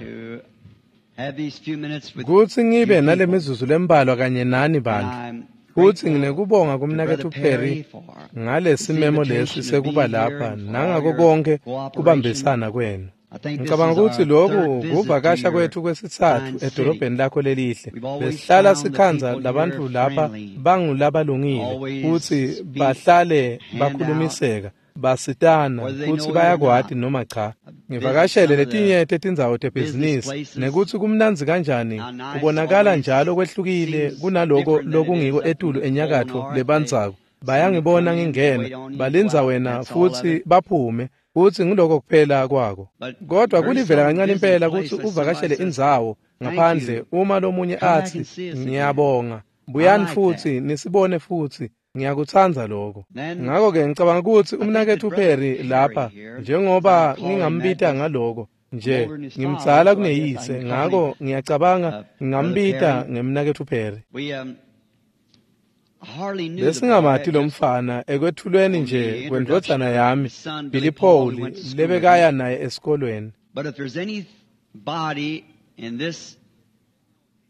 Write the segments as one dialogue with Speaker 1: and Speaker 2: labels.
Speaker 1: to have these few minutes with
Speaker 2: Kutsi ngibe
Speaker 1: you
Speaker 2: nale
Speaker 1: people.
Speaker 2: mizuzu lembalwa kanye nani
Speaker 1: And
Speaker 2: bantu.
Speaker 1: I'm
Speaker 2: Futsi
Speaker 1: grateful
Speaker 2: nginekubonga
Speaker 1: to
Speaker 2: kumnaketfu
Speaker 1: Brother
Speaker 2: Perry
Speaker 1: Perry for
Speaker 2: ngale
Speaker 1: this
Speaker 2: simemo lesi
Speaker 1: invitation to
Speaker 2: sekuba
Speaker 1: be here
Speaker 2: lapha
Speaker 1: and for all
Speaker 2: nangako
Speaker 1: your
Speaker 2: konke
Speaker 1: cooperation.
Speaker 2: kubambisana kwenu.
Speaker 1: I think this
Speaker 2: Ngicabanga
Speaker 1: is
Speaker 2: ukuthi
Speaker 1: our
Speaker 2: lokhu
Speaker 1: third visit to
Speaker 2: kuvakasha
Speaker 1: your
Speaker 2: kwethu kwesitsatfu
Speaker 1: fine city.
Speaker 2: edolobheni lakho lelihle.
Speaker 1: We've always
Speaker 2: Besihlala
Speaker 1: found the
Speaker 2: sikhandza
Speaker 1: people here
Speaker 2: labantfu lapha
Speaker 1: friendly,
Speaker 2: bangulabalungile
Speaker 1: always
Speaker 2: futsi
Speaker 1: speak,
Speaker 2: bahlale
Speaker 1: hand out,
Speaker 2: bakhulumiseka basitana
Speaker 1: whether they
Speaker 2: kutsi
Speaker 1: know you or
Speaker 2: bayakwati
Speaker 1: not.
Speaker 2: noma cha.
Speaker 1: I've visited
Speaker 2: Ngivakashele
Speaker 1: some of the
Speaker 2: letinye tetindzawo
Speaker 1: business
Speaker 2: tebhizinisi
Speaker 1: places.
Speaker 2: nekutsi kumnandzi kanjani
Speaker 1: How nice
Speaker 2: kubonakala
Speaker 1: always
Speaker 2: njalo kwehlukile
Speaker 1: seems
Speaker 2: kunaloko
Speaker 1: different than it is
Speaker 2: lokungiko
Speaker 1: up in
Speaker 2: etulu
Speaker 1: the cold
Speaker 2: enyakatfo
Speaker 1: north. They
Speaker 2: lebandzako.
Speaker 1: seem to
Speaker 2: Bayangibona
Speaker 1: come in,
Speaker 2: ngingena,
Speaker 1: wait on you, go
Speaker 2: balindza
Speaker 1: out.
Speaker 2: wena
Speaker 1: That's all of
Speaker 2: futsi
Speaker 1: it.
Speaker 2: baphume futsi nguloko kuphela kwako.
Speaker 1: But
Speaker 2: Kodwa
Speaker 1: very
Speaker 2: kulivela
Speaker 1: seldom
Speaker 2: kancane
Speaker 1: visit a
Speaker 2: impela
Speaker 1: place
Speaker 2: kutsi
Speaker 1: that somebody
Speaker 2: uvakashele
Speaker 1: says,
Speaker 2: indzawo
Speaker 1: "Thank
Speaker 2: ngaphandle
Speaker 1: you.
Speaker 2: uma lomunye
Speaker 1: Come back
Speaker 2: atsi
Speaker 1: and see us again."
Speaker 2: ngiyabonga
Speaker 1: I
Speaker 2: buyani
Speaker 1: like that.
Speaker 2: futsi nisibone futsi ngiyakutsandza lokho.
Speaker 1: Then
Speaker 2: Ngako-ke ngicabanga kutsi
Speaker 1: I think that
Speaker 2: umnaketfu
Speaker 1: Brother
Speaker 2: Perry
Speaker 1: Perry
Speaker 2: lapha
Speaker 1: here, as I
Speaker 2: njengoba
Speaker 1: call him that,
Speaker 2: ngingambita
Speaker 1: just
Speaker 2: ngaloko
Speaker 1: I'm
Speaker 2: nje
Speaker 1: older than his father,
Speaker 2: ngimdzala
Speaker 1: so I guess I
Speaker 2: kuneyise
Speaker 1: can call him
Speaker 2: ngako ngiyacabanga
Speaker 1: Brother
Speaker 2: ngingambita
Speaker 1: Perry.
Speaker 2: ngemnaketfu Perry.
Speaker 1: We hardly knew the boy
Speaker 2: Besingamati lo
Speaker 1: just
Speaker 2: mfana ekwetfulweni
Speaker 1: on
Speaker 2: nje
Speaker 1: the introduction
Speaker 2: kwendvodzana
Speaker 1: of
Speaker 2: yami
Speaker 1: his son
Speaker 2: Billy
Speaker 1: Billy Paul, who
Speaker 2: Paul
Speaker 1: went to school with him.
Speaker 2: lebekaya naye esikolweni.
Speaker 1: But if there's anybody in this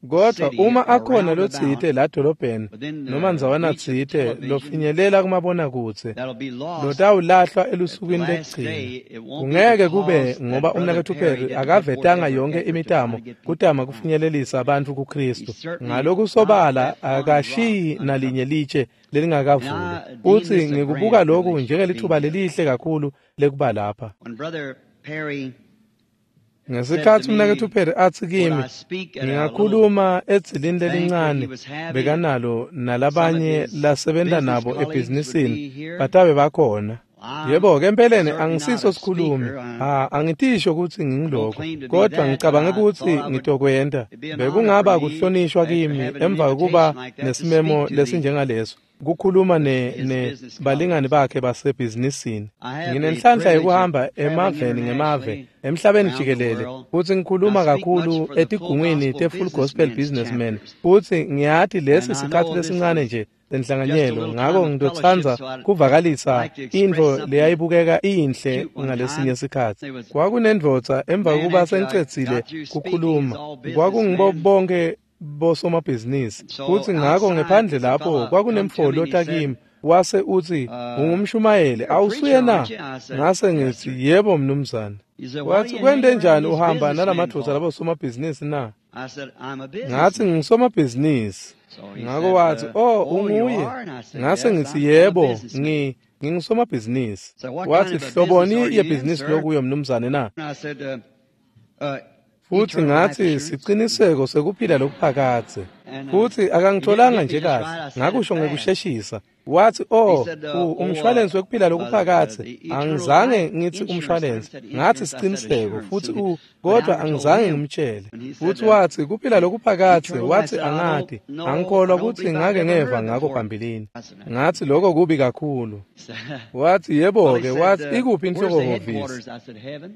Speaker 2: Kodwa
Speaker 1: city
Speaker 2: uma
Speaker 1: or
Speaker 2: akhona
Speaker 1: round
Speaker 2: lotsite
Speaker 1: about
Speaker 2: la dolobheni
Speaker 1: within
Speaker 2: noma
Speaker 1: the
Speaker 2: ndzawana
Speaker 1: reach of
Speaker 2: tsite
Speaker 1: television
Speaker 2: lofinyelela kumabonakudze
Speaker 1: that'll be lost
Speaker 2: lotawulahlwa
Speaker 1: at the
Speaker 2: elusukwini
Speaker 1: last
Speaker 2: lekugcina.
Speaker 1: day, it won't be
Speaker 2: Kungeke kube
Speaker 1: because that
Speaker 2: ngoba
Speaker 1: Brother
Speaker 2: umnaketfu
Speaker 1: Perry
Speaker 2: Perry
Speaker 1: didn't put forth
Speaker 2: akavetanga
Speaker 1: every
Speaker 2: yonke
Speaker 1: effort to try
Speaker 2: imitamo
Speaker 1: to get people
Speaker 2: kutama
Speaker 1: to Christ.
Speaker 2: kufinyelelisa bantfu
Speaker 1: He's
Speaker 2: kuKristu.
Speaker 1: certainly not
Speaker 2: Ngalokusobala
Speaker 1: that fine rock
Speaker 2: akashiyi
Speaker 1: uncovered.
Speaker 2: nalinye litshe
Speaker 1: And
Speaker 2: lelingakavulwa.
Speaker 1: I deem
Speaker 2: Futsi
Speaker 1: this a
Speaker 2: ngikubuka
Speaker 1: grand
Speaker 2: loku
Speaker 1: privilege to be
Speaker 2: njengelitfuba
Speaker 1: here.
Speaker 2: lelihle kakhulu lekuba lapha.
Speaker 1: When Brother Perry said to
Speaker 2: Ngesikhatsi
Speaker 1: me,
Speaker 2: umnaketfu Perry atsi
Speaker 1: would
Speaker 2: kimi
Speaker 1: I speak at a little
Speaker 2: ngingakhuluma edzilini
Speaker 1: banquet he
Speaker 2: lelincane
Speaker 1: was having and
Speaker 2: bekanalo
Speaker 1: some of
Speaker 2: nalabanye
Speaker 1: his
Speaker 2: lasebenta
Speaker 1: business
Speaker 2: nabo
Speaker 1: colleagues would
Speaker 2: ebhizinisini
Speaker 1: be here?
Speaker 2: batabe bakhona.
Speaker 1: I'm
Speaker 2: Yebo-ke empeleni
Speaker 1: certainly not
Speaker 2: angisiso
Speaker 1: a
Speaker 2: sikhulumi,
Speaker 1: speaker. I
Speaker 2: ha angitisho kutsi
Speaker 1: don't
Speaker 2: ngingiloko,
Speaker 1: claim to be
Speaker 2: kodwa
Speaker 1: that, but
Speaker 2: ngicabange
Speaker 1: I
Speaker 2: kutsi
Speaker 1: thought I would
Speaker 2: ngitokwenta.
Speaker 1: it'd be an honor for
Speaker 2: Bekungaba
Speaker 1: me
Speaker 2: kuhlonishwa
Speaker 1: after
Speaker 2: kimi
Speaker 1: having an
Speaker 2: emva kokuba
Speaker 1: invitation like that to
Speaker 2: nesimemo
Speaker 1: speak to the
Speaker 2: lesinjengaleso kukhuluma ne
Speaker 1: his
Speaker 2: ne
Speaker 1: business
Speaker 2: balingani
Speaker 1: colleagues.
Speaker 2: bakhe basebhizinisini.
Speaker 1: I have the
Speaker 2: Nginenhlanhla
Speaker 1: privilege of
Speaker 2: yekuhamba
Speaker 1: traveling
Speaker 2: emaveni ngemave
Speaker 1: internationally
Speaker 2: emhlabeni
Speaker 1: around the
Speaker 2: jikelele
Speaker 1: world.
Speaker 2: futsi
Speaker 1: I
Speaker 2: ngikhuluma
Speaker 1: speak much
Speaker 2: kakhulu
Speaker 1: for the full
Speaker 2: etigungwini
Speaker 1: gospel
Speaker 2: te-Full Gospel
Speaker 1: businessmen's
Speaker 2: Businessmen
Speaker 1: chapters.
Speaker 2: futsi ngiyati lesi
Speaker 1: And I
Speaker 2: sikhatsi
Speaker 1: know this
Speaker 2: lesincane
Speaker 1: is
Speaker 2: nje
Speaker 1: just a
Speaker 2: senhlanganyelo
Speaker 1: little
Speaker 2: ngako
Speaker 1: time of fellowship,
Speaker 2: ngitotsandza
Speaker 1: so I'd
Speaker 2: kuvakalisa
Speaker 1: like to express
Speaker 2: intfo
Speaker 1: something
Speaker 2: leyayibukeka iyinhle
Speaker 1: cute one
Speaker 2: ngalesinye
Speaker 1: time.
Speaker 2: sikhatsi.
Speaker 1: There was a
Speaker 2: Kwakunendvodza emva
Speaker 1: man
Speaker 2: kokuba
Speaker 1: after I
Speaker 2: sengicedzile
Speaker 1: got through speaking, it's
Speaker 2: kukhuluma
Speaker 1: all
Speaker 2: kwakungibo
Speaker 1: businessmen.
Speaker 2: bonke bosomabhizinisi
Speaker 1: And so
Speaker 2: futsi ngako
Speaker 1: outside,
Speaker 2: ngephandle
Speaker 1: there's a
Speaker 2: lapho
Speaker 1: fella come to
Speaker 2: kwakunemfo
Speaker 1: me and he
Speaker 2: lota
Speaker 1: said,
Speaker 2: kimi wase uthi ungumshumayeli
Speaker 1: "You're a
Speaker 2: awusuye
Speaker 1: preacher,
Speaker 2: na
Speaker 1: aren't you?" I said,
Speaker 2: ngase
Speaker 1: "Yes,
Speaker 2: ngithi
Speaker 1: sir."
Speaker 2: yebo mnumzane
Speaker 1: He said, "What are
Speaker 2: wathi
Speaker 1: you
Speaker 2: kwente
Speaker 1: hanging around
Speaker 2: njani
Speaker 1: these
Speaker 2: uhamba
Speaker 1: businessmen
Speaker 2: nalamadvodza
Speaker 1: for?"
Speaker 2: labosomabhizinisi na
Speaker 1: I said, "I'm a
Speaker 2: ngathi
Speaker 1: businessman."
Speaker 2: ngingisomabhizinisi
Speaker 1: So he
Speaker 2: ngako
Speaker 1: said,
Speaker 2: wathi oh
Speaker 1: "Oh, you
Speaker 2: unguye
Speaker 1: are?" And I said,
Speaker 2: ngase
Speaker 1: "Yes,
Speaker 2: ngithi
Speaker 1: I'm a
Speaker 2: yebo
Speaker 1: businessman."
Speaker 2: ngingisomabhizinisi
Speaker 1: So what
Speaker 2: wathi
Speaker 1: kind of a business
Speaker 2: hloboni
Speaker 1: are you in,
Speaker 2: yebhizinisi
Speaker 1: sir?
Speaker 2: lokuyo mnumzane na
Speaker 1: And I said,
Speaker 2: futsi
Speaker 1: "Eternal life
Speaker 2: ngathi
Speaker 1: assurance."
Speaker 2: siciniseko sekuphila lokuphakadze
Speaker 1: And
Speaker 2: futsi
Speaker 1: he didn't
Speaker 2: akangitholanga
Speaker 1: get me
Speaker 2: nje
Speaker 1: just
Speaker 2: kahle
Speaker 1: right. I said it
Speaker 2: ngakusho
Speaker 1: fast.
Speaker 2: ngekusheshisa wathi
Speaker 1: He
Speaker 2: oh
Speaker 1: said, "Oh,
Speaker 2: umshwalensi wekuphila lokuphakadze
Speaker 1: the eternal
Speaker 2: angizange
Speaker 1: life
Speaker 2: ngithi
Speaker 1: insurance." I
Speaker 2: umshwalensi
Speaker 1: said
Speaker 2: ngathi
Speaker 1: insurance. I said
Speaker 2: siciniseko
Speaker 1: assurance.
Speaker 2: futhi
Speaker 1: But I
Speaker 2: kodwa
Speaker 1: told
Speaker 2: angizange
Speaker 1: him
Speaker 2: ngimtshele
Speaker 1: when he said
Speaker 2: futhi wathi kuphila
Speaker 1: the
Speaker 2: lokuphakadze
Speaker 1: eternal life, I
Speaker 2: wathi
Speaker 1: said, "I don't
Speaker 2: angati
Speaker 1: know. I
Speaker 2: angikholwa
Speaker 1: don't
Speaker 2: kutsi
Speaker 1: believe I've
Speaker 2: ngake
Speaker 1: ever
Speaker 2: ngeva
Speaker 1: heard
Speaker 2: ngako
Speaker 1: before."
Speaker 2: phambilini
Speaker 1: I said,
Speaker 2: ngathi lokho kubi kakhulu
Speaker 1: He said,
Speaker 2: wathi
Speaker 1: "Well," he
Speaker 2: yebo-ke
Speaker 1: said,
Speaker 2: wathi ikuphi
Speaker 1: "Where's the
Speaker 2: inhlokohhovisi
Speaker 1: headquarters?" I said, "Heaven."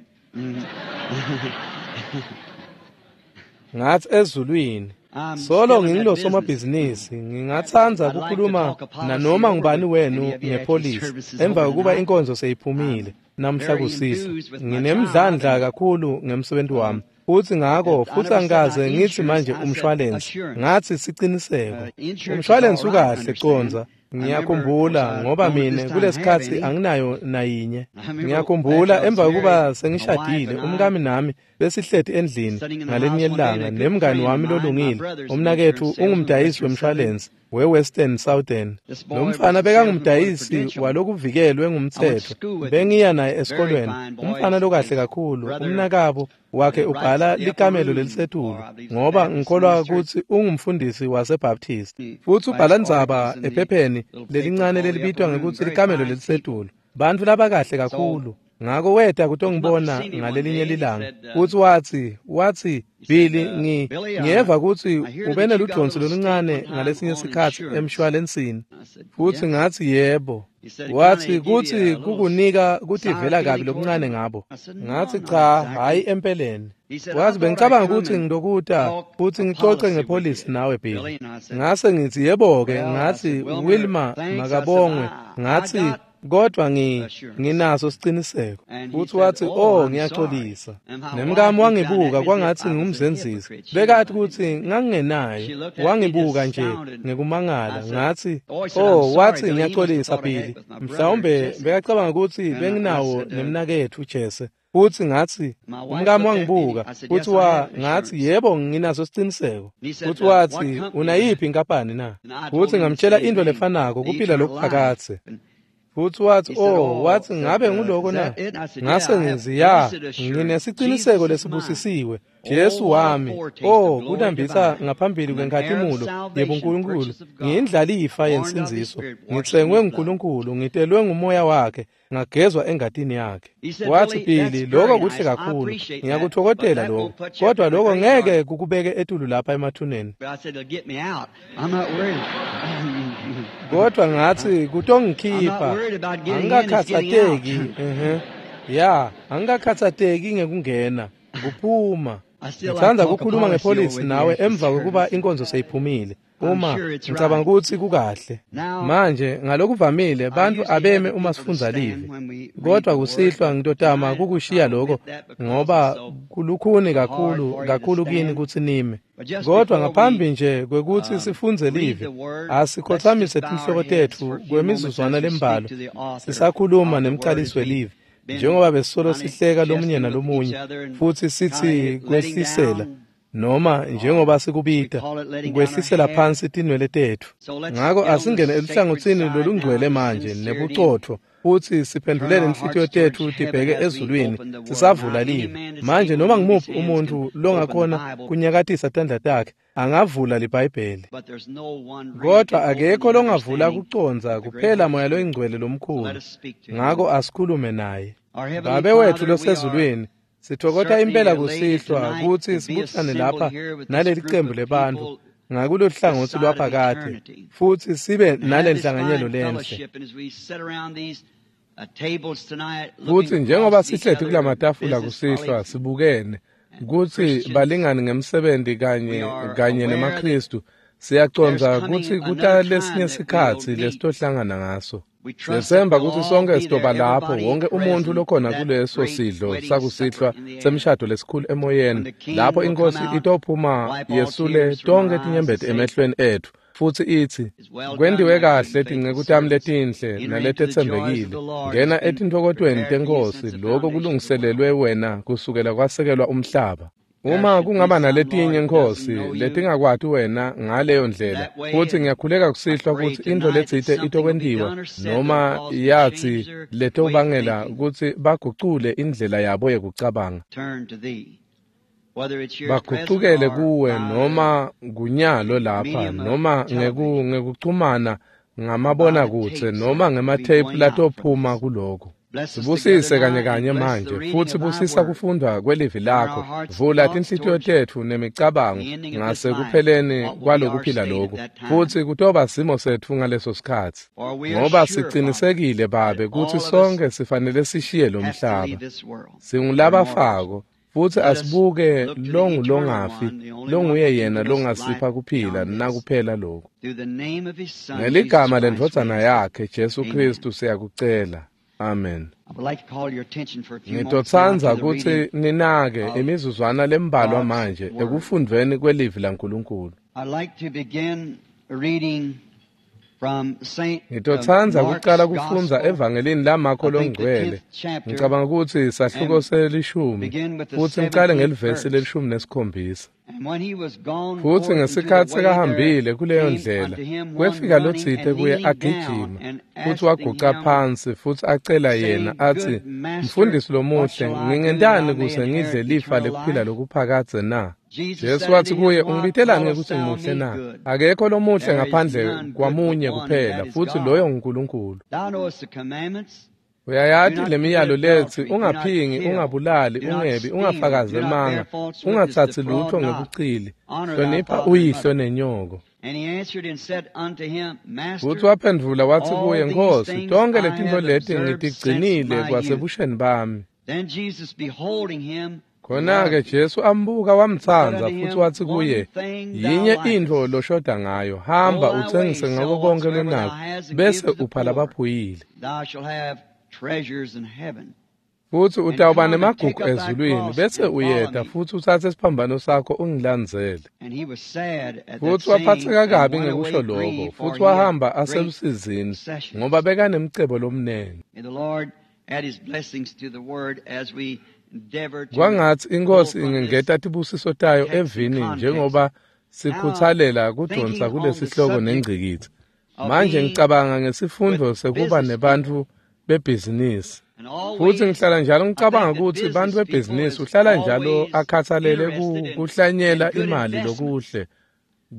Speaker 2: ngathi ezulwini
Speaker 1: I'm
Speaker 2: solo
Speaker 1: still in that
Speaker 2: ngingilo
Speaker 1: business.
Speaker 2: somabhizinisi ngingatsandza
Speaker 1: I'd like to
Speaker 2: kukhuluma
Speaker 1: talk a policy
Speaker 2: nanoma
Speaker 1: over
Speaker 2: ngubani
Speaker 1: with
Speaker 2: wenu
Speaker 1: any of you after
Speaker 2: ngepholisi
Speaker 1: service is
Speaker 2: emva
Speaker 1: over
Speaker 2: kokuba
Speaker 1: tonight.
Speaker 2: inkonzo seyiphumile
Speaker 1: I'm
Speaker 2: namhla
Speaker 1: very
Speaker 2: kusisa
Speaker 1: enthused with my job,
Speaker 2: nginemdlandla
Speaker 1: and
Speaker 2: kakhulu ngemsebenzi wami futsi ngako
Speaker 1: I
Speaker 2: futsi
Speaker 1: never said
Speaker 2: angikaze
Speaker 1: not
Speaker 2: ngithi
Speaker 1: insurance.
Speaker 2: manje
Speaker 1: I said
Speaker 2: umshwalensi
Speaker 1: assurance.
Speaker 2: ngathi siciniseko
Speaker 1: Insurance is all
Speaker 2: umshwalensi
Speaker 1: right,
Speaker 2: ukahle
Speaker 1: understand.
Speaker 2: condza
Speaker 1: I remember, of course,
Speaker 2: ngiyakhumbula
Speaker 1: I
Speaker 2: ngoba
Speaker 1: don't at
Speaker 2: mine
Speaker 1: this time have
Speaker 2: kulesikhatsi
Speaker 1: any.
Speaker 2: anginayo nayinye
Speaker 1: I remember after
Speaker 2: ngiyakhumbula
Speaker 1: I was
Speaker 2: emva kokuba
Speaker 1: married, my wife
Speaker 2: sengishadile
Speaker 1: and I
Speaker 2: umkami nami besihleti endlini
Speaker 1: sitting in the
Speaker 2: ngalinye
Speaker 1: house one day, and
Speaker 2: ilanga
Speaker 1: a good
Speaker 2: nemngani
Speaker 1: friend of
Speaker 2: wami
Speaker 1: mine, my
Speaker 2: lolungile
Speaker 1: brother's an
Speaker 2: umnaketfu
Speaker 1: insurance salesman,
Speaker 2: ungumdayisi
Speaker 1: Western Southern.
Speaker 2: wemshwalensi we-Western Southern
Speaker 1: This
Speaker 2: lo
Speaker 1: boy was
Speaker 2: mfana
Speaker 1: a salesman for the
Speaker 2: bekangumdayisi
Speaker 1: Prudential.
Speaker 2: walokuvikelwe
Speaker 1: I went to
Speaker 2: ngumtsetfo
Speaker 1: school with him.
Speaker 2: bengiya naye
Speaker 1: Very
Speaker 2: esikolweni
Speaker 1: fine boy.
Speaker 2: umfana
Speaker 1: His,
Speaker 2: lokahle
Speaker 1: his
Speaker 2: kakhulu
Speaker 1: brother
Speaker 2: umnakabo wakhe
Speaker 1: writes
Speaker 2: ubhala
Speaker 1: the upper
Speaker 2: likamelo
Speaker 1: room
Speaker 2: lelisetulu
Speaker 1: for, I believe, the
Speaker 2: ngoba
Speaker 1: Baptist
Speaker 2: ngikholwa
Speaker 1: minister.
Speaker 2: kutsi ungumfundisi wasebaptist
Speaker 1: He
Speaker 2: futsi
Speaker 1: writes
Speaker 2: ubhala ndzaba
Speaker 1: articles in the
Speaker 2: ephepheni
Speaker 1: little paper
Speaker 2: lelincane
Speaker 1: called the Upper
Speaker 2: lelibitwa
Speaker 1: Room.
Speaker 2: ngekutsi
Speaker 1: Very
Speaker 2: likamelo
Speaker 1: fine people.
Speaker 2: lelisetulu bantfu labakahle
Speaker 1: So
Speaker 2: kakhulu ngako weta
Speaker 1: he come up to
Speaker 2: kutongibona
Speaker 1: see me one
Speaker 2: ngalelinye
Speaker 1: day and he
Speaker 2: lilanga
Speaker 1: said,
Speaker 2: futsi wathi
Speaker 1: he said,
Speaker 2: Billy ngi
Speaker 1: "Billy,
Speaker 2: ngiyeva kutsi
Speaker 1: I hear
Speaker 2: ube
Speaker 1: that you got a
Speaker 2: neludvonsi
Speaker 1: little stake
Speaker 2: loluncane
Speaker 1: one time
Speaker 2: ngalesinye
Speaker 1: on
Speaker 2: sikhatsi
Speaker 1: insurance."
Speaker 2: emshwalensini
Speaker 1: I said,
Speaker 2: futsi
Speaker 1: "Yes."
Speaker 2: ngathi yebo
Speaker 1: He said, "It
Speaker 2: wathi
Speaker 1: kind of give you
Speaker 2: kutsi
Speaker 1: a little
Speaker 2: kukunika
Speaker 1: sour
Speaker 2: kutivela kabi
Speaker 1: feeling towards
Speaker 2: lokuncane
Speaker 1: them."
Speaker 2: ngabo
Speaker 1: I said, "No,
Speaker 2: ngathi
Speaker 1: not
Speaker 2: cha hhayi
Speaker 1: exactly."
Speaker 2: empeleni
Speaker 1: He said, "I
Speaker 2: wathi
Speaker 1: thought I'd
Speaker 2: bengicabanga
Speaker 1: come
Speaker 2: kutsi
Speaker 1: and
Speaker 2: ngilokuta
Speaker 1: talk
Speaker 2: futsi
Speaker 1: a
Speaker 2: ngicoce
Speaker 1: policy with
Speaker 2: ngepholisi
Speaker 1: you,
Speaker 2: nawe Billy
Speaker 1: Billy." And I said,
Speaker 2: ngase ngithi yebo-ke
Speaker 1: "Well," I
Speaker 2: ngathi
Speaker 1: said, "Wilmer,
Speaker 2: Wilma
Speaker 1: thanks." I said,
Speaker 2: makabongwe
Speaker 1: I
Speaker 2: ngathi
Speaker 1: got
Speaker 2: Kodwa nginaso siciniseko. Futhi wathi, "Oh, ngiyaxolisa." Nemkami wangibuka kwangathi ngumzenzisi. Bekathi ukuthi ngangingenayo. Wangibuka nje ngekumangala. Ngathi, "Oh," wathi, "ngiyaxolisa Billy. Mhlawumbe bekacabanga ukuthi benginawo nemnaketfu Jesse." Futhi ngathi, umkami wangibuka, futhi ngathi, "Yebo, nginaso siciniseko." Futhi wathi, "Unayiphi inkampani na?" Futhi ngamtshela into lefanako, kuphila lokuphakadze. Futhi wathi, "Oh," wathi, "ngabe nguloko na?" Ngase ngithi, "Ya, nginesiciniseko lesibusisiwe. Jesu wami. Oh, kunambitha ngaphambili kwenkhatimulo yebuNkulunkulu. Ngiyindlalifa yensindziso. Ngitsengwe nguNkulunkulu, ngitelwe ngumoya wakhe, ngagezwa engatini yakhe." Wathi, "Billy, lokho kuhle kakhulu. Ngiyakuthokozela lokho. Kodwa lokho ngeke kukubeke etulu lapha emathuneni." Kodwa ngathi, "Kutongikhipha. Angikakhathatheki. Ya, angikakhathatheki ngekungena, kuphuma. Ngithanda ukukhuluma ngepolisi nawe emva kokuba inkonzo seyiphumile. Uma ngicabanga ukuthi kukahle. Manje ngalokuvamile bantu abeme uma sifundza livi. Kodwa kusihlwa ngitotama kukushiya lokho ngoba kulukhuni kakhulu kakhulu kini ukuthi nime. Kodwa ngaphambi nje kwekuthi sifundze livi, asikhothamise tinhloko tetfu kwemizuzwana lembalwa sisakhuluma nemcalisi welivi. Njengoba besolo sihleka lomunye nalomunye futhi sithi kwehlisela noma njengoba sikubita kwehlisela phansi tinwele tetfu. Ngako asingene eluhlangotsini lolungcwele manje nebucotfo futhi siphendulele inhlitiyo tetfu tibheke ezulwini sisavula livi. Manje noma ngimuphi umuntu longakhona kunyakatisa tandla takhe angavula liBhayibheli. Kodwa akekho longavula kucondza kuphela moya loyingcwele lomkhulu. Ngako asikhulume naye. Babe wethu losezulwini, sithokota impela kusihlwa ukuthi sibuthane lapha naleli qembu lebantfu ngakulo hlangothi lwaphakade futhi sibe nalenhlanganyelo lenhle. Futhi njengoba sihleti kulamatafula kusihlwa sibukene kutsi balingani ngemsebenzi kanye nemaKristu, siyacondza kutsi kuta lesinye sikhatsi lesitohlangana ngaso. Siyathemba kutsi sonke sitoba lapho, wonke umuntu lokhona kuleso sidlo sakusihlwa semshado lesikhulu emoyeni, lapho inkosi itophuma yesule tonke tinyembeti emehlweni etfu futhi ithi, "Kwendiwe kahle tinceku tami letinhle naletetsembekile. Ngena etintfokotweni tenkosi, lokho kulungiselelwe wena kusukela kwasekelwa umhlaba." Uma kungaba naletinye Nkosi letingakwati wena ngaleyo ndlela, futhi ngiyakhuleka kusihlwa kutsi intfo letsite itokwentiwa noma yathi letobangela kutsi bagucule indlela yabo yekucabanga, bagucukele kuwe noma kunyalo lapha noma ngekuchumana ngamabonakudze noma ngematheyiphu latophuma kuloko. Sibusise kanye kanye manje futhi busisa kufundwa kwelivi lakho. Vula tinhlitiyo tetfu nemicabango ngasekupheleni kwalokuphila lokhu, futhi kutoba simo setfu ngaleso sikhatsi, ngoba sicinisekile Babe kutsi sonke sifanele sishiye lo mhlaba. Singulabafako futhi asibuke longulongafi, longuye yena longasipha kuphila nakuphela lokhu. Ngeligama lendvodzana yakhe Jesu Kristu siyakucela. Amen. Ngitotsandza kutsi ninake imizuzwana lembalwa manje ekufundveni kwelivi laNkulunkulu. Ngitotsandza kucala kufundza evangelini laMakho longcwele. Ngicabanga kutsi sahluko selishumi futhi ngicale ngelivesi lelishumi nesikhombisa. Futhi ngesikhatsi sekahambile kuleyo ndlela, kwefika lotsite kuye agijima, futhi waguca phansi futhi acela yena athi, "Mfundisi lomuhle, ngingentani kuze ngidle lifa lekuphila lokuphakadze na?" Jesu wathi kuye, "Ungibitelani ngekutsi ngimuhle na? Akekho lomuhle ngaphandle kwamunye kuphela, futhi loyo nguNkulunkulu. Uyayati lemiyalo letsi, ungaphingi, ungabulali, ungebi, ungafakazi emanga, ungatsatsi lutho ngebucili, hlonipha uyihlo nenyoko." Futhi waphendvula wathi kuye, "Nkosi, tonke letintfo leti ngitigcinile kwasebusheni bami." Khona-ke Jesu ambuka wamtsandza futsi watsi kuye, yinye intfo loshoda ngayo, hamba utsengise ngako konkhe lonako, bese upha labaphuyile. Futsi utawuba nemagugu ezulwini, bese uyeta futsi utsatse siphambano sakho ungilandzele. Futsi waphatseka kabi ngekusho lokho, futsi wahamba aselusizini, ngoba bekanemcebo lomnengi. Kwangatsi iNkhosi ingengeta tibusiso tayo evini njengoba sikhuthalela kudonsa kulesihloko nengcikitsi. Manje ngicabanga ngesifundvo sekuba nebantfu bebhizinisi. Futsi ngihlala njalo ngicabanga kutsi bantfu bebhizinisi uhlala njalo akhatsalele kuhlanyela imali lokuhle.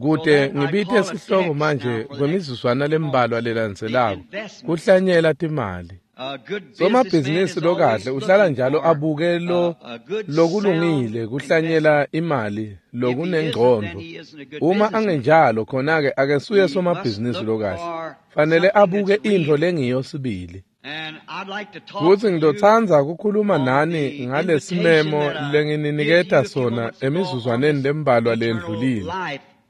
Speaker 2: Kute ngibite sihloko manje kwemizuzwana lembalwa lelandzelako, kuhlanyela timali. Somabhizinisi lokahle uhlala njalo abuke lokulungile kuhlanyela imali lokunengcondvo. Uma angenjalo khona-ke akesuye somabhizinisi lokahle. Fanele abuke intfo lengiyo sibili. Futsi ngizotsandza kukhuluma nani ngalesimemo lengininiketa sona emizuzwaneni lembalwa lendlulile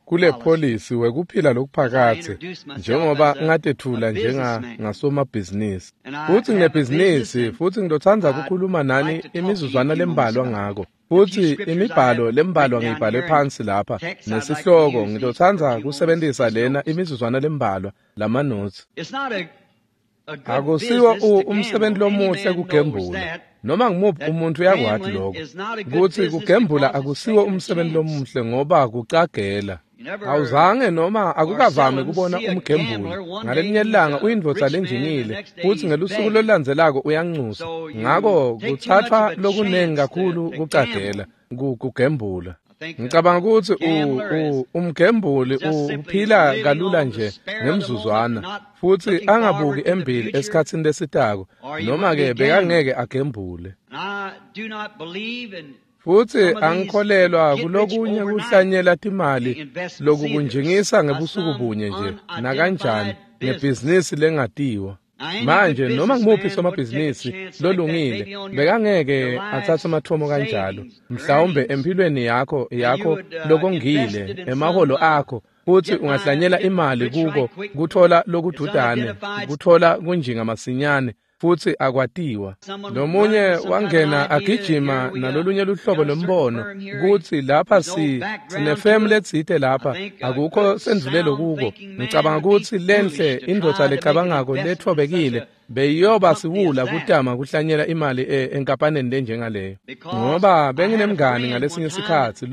Speaker 2: kule pholisi wekuphila lokuphakatse, njengoba ngatetfula njengasomabhizinisi. Futsi nginebhizinisi, futsi ngizotsandza kukhuluma nani imizuzwana lembalwa ngako. Futsi imibhalo lembalwa ngiyibhale phansi lapha nesihloko, ngizotsandza kusebentisa lena imizuzwana lembalwa lamanotsi. Akusiwo umsebenzi lomuhle kugembula. Noma ngimuphi umuntu uyakwati lokho, kutsi kugembula akusiwo umsebenzi lomuhle ngoba kucagela. Awuzange noma akukavami kubona umgembuli. Ngalelinye ilanga uyindvodza lenjingile, futsi ngelusuku lolulandzelako uyancusa. Ngako kutsatfwa lokunengi kakhulu kucagela, kugembula. Ngicabanga kutsi umgembuli uphila kalula nje ngemzuzwana, futsi angabuki embili esikhatsini lesitako, noma-ke bekangeke agembule. Futsi angikholelwa kulokunye kuhlanyela timali lokukunjingisa ngebusuku bunye nje nakanjani ngebhizinisi lengatiwa. Manje noma ngimuphi somabhizinisi lolungile bekangeke atsatse amathomo kanjalo, mhlawumbe empilweni yakho lokongile, emaholo akho, futsi ungahlanyela imali kuko kuthola lokududane, kuthola kunjinga masinyane, futsi akwatiwa. Lomunye wangena agijima nalolunye luhlobo lombono kutsi lapha sinefemu letsite lapha, akukho sendvulelo kuko. Ngicabanga kutsi lenhle indvodza lecabangako lethobekile beyiyoba siwula kutama kuhlanyela imali enkampaneni lenjengaleyo, ngoba benginemngani ngalesinye sikhatsi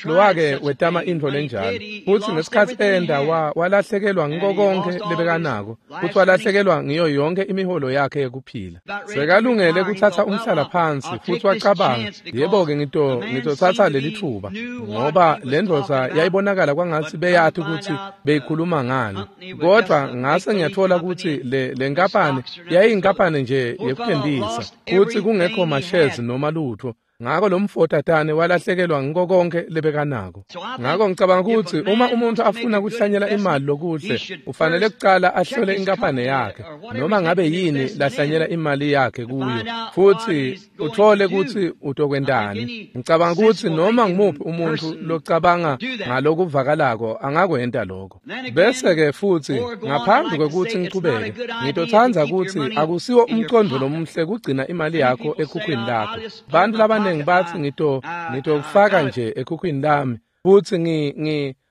Speaker 2: lowake wetama intfo lenjalo, futsi ngesikhatsi enda walahlekelwa ngiko konkhe lebekanako, futsi walahlekelwa ngiyo yonke imiholo yakhe yekuphila. Sekalungele kuthatha umhlala phansi, futsi wacabanga, yebo-ke ngitotsatsa leli thuba, ngoba le ndvodza yayibonakala kwangatsi beyati kutsi beyikhuluma ngani. Kodvwa ngase ngiyatfola kutsi le nkampani yayinkampani nje yekuthembisa, futsi kungekho mashezi noma lutho. Ngako lo mfotatane walahlekelwa ngiko konke lebekanako. Ngako ngicabanga kutsi uma umuntu afuna kuhlanyela imali lokuhle, ufanele kucala ahlole inkampani yakhe, noma ngabe yini lahlanyela imali yakhe kuyo, futsi uthole kutsi utokwentani. Ngicabanga kutsi noma ngimuphi umuntu locabanga ngalokuvakalako angakwenta lokho. Bese-ke futsi ngaphambi kwekutsi ngichubeke, ngitotsandza kutsi akusiwo umcondvo lomuhle kugcina imali yakho ekhukhwini lakho. Bantfu labaningi batsi ngitokufaka nje ekhukhwini lami, futsi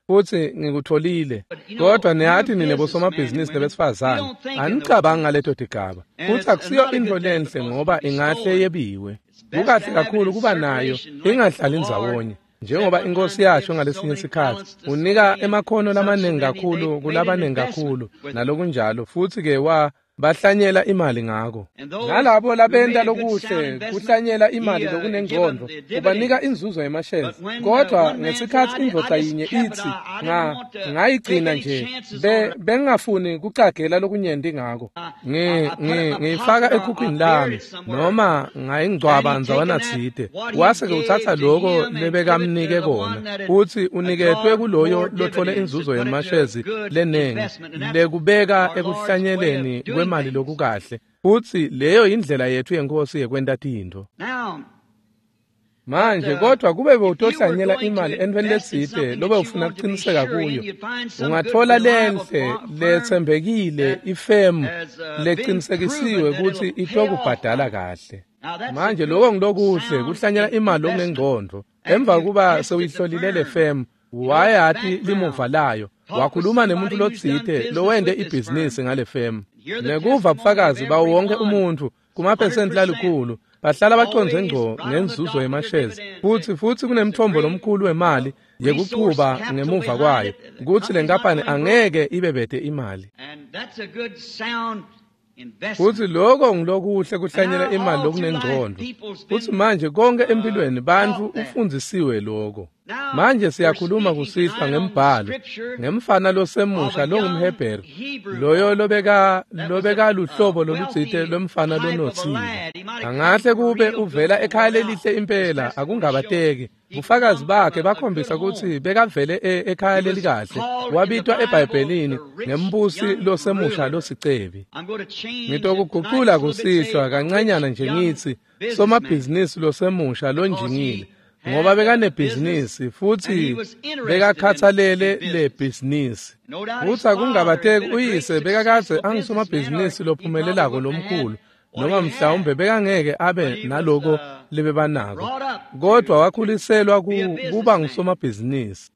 Speaker 2: futsi ngikutholile. Kodwa niyati nine bosomabhizinisi nebesifazane, anicabangi ngaleto tigaba, futsi akusiyo intfo lenhle ngoba ingahle yebiwe. Kukahle kakhulu kuba nayo ingahlali ndzawonye. Njengoba iNkosi yasho ngalesinye sikhatsi, unika emakhono lamaningi kakhulu kulabaningi kakhulu nalokunjalo, futsi-ke bahlanyela imali ngako. Nalabo labenta lokuhle kuhlanyela imali lokunengcondvo, ubanika inzuzo yemashezi. Kodwa ngesikhatsi indvodza yinye itsi, ngayigcina nje, bengingafuni kucagela lokunyenti ngako. Ngiyifaka ekhukhwini lami, noma ngayingcwaba ndzawana tsite. Wase-ke utsatsa loko lebekamnike kona, futsi uniketwe kuloyo lotfole inzuzo yemashezi lenengi, lekubeka ekuhlanyeleni kwemali lokukahle. Futsi leyo indlela yetfu yeNkhosi yekwenta tintfo. Manje kodwa kube bewutohlanyela imali entweni letsite lobe ufuna kuqiniseka kuyo, ungathola lenhle letsembekile ifemu leqinisekisiwe kutsi itokubhadala kahle. Manje lokho ngilokuhle kuhlanyela imali lokunengqondo. Emva kuba sewuyihlolile le femu, wayati limuva layo, wakhuluma nemuntu lotsite lowente ibhizinisi ngale femu. Nekuva bufakazi bawo wonke umuntfu kumaphesenti lalikhulu bahlala bacondze ngco ngenzuzo yemashezi, futsi kunemthombo lomkhulu wemali yekuchuba ngemuva kwayo kutsi le nkampani angeke ibe bete imali. Futsi lokho ngilokuhle kuhlanyela imali lokunengqondo. Futsi manje konke empilweni bantfu ufundzisiwe lokho. Manje siyakhuluma kusihlwa ngembhalo ngemfana losemusha longumHebheru, loyo lobeka luhlobo lolutsite lwemfana lonotsile. Angahle kube uvela ekhaya lelihle impela, akungabateki. Bufakazi bakhe bakhombisa kutsi bekavele ekhaya lelikahle. Wabitwa eBhayibhelini ngembusi losemusha losicebi. Ngitokugucula kusihlwa kancanyana nje ngitsi somabhizinisi losemusha lonjingile, ngoba bekanebhizinisi futsi bekakhathalele le bhizinisi. Futsi akungabateki uyise bekakadze angusomabhizinisi lophumelelako lomkhulu, noma mhlawumbe bekangeke abe naloko lebebanako, kodwa wakhuliselwa kuba ngusomabhizinisi.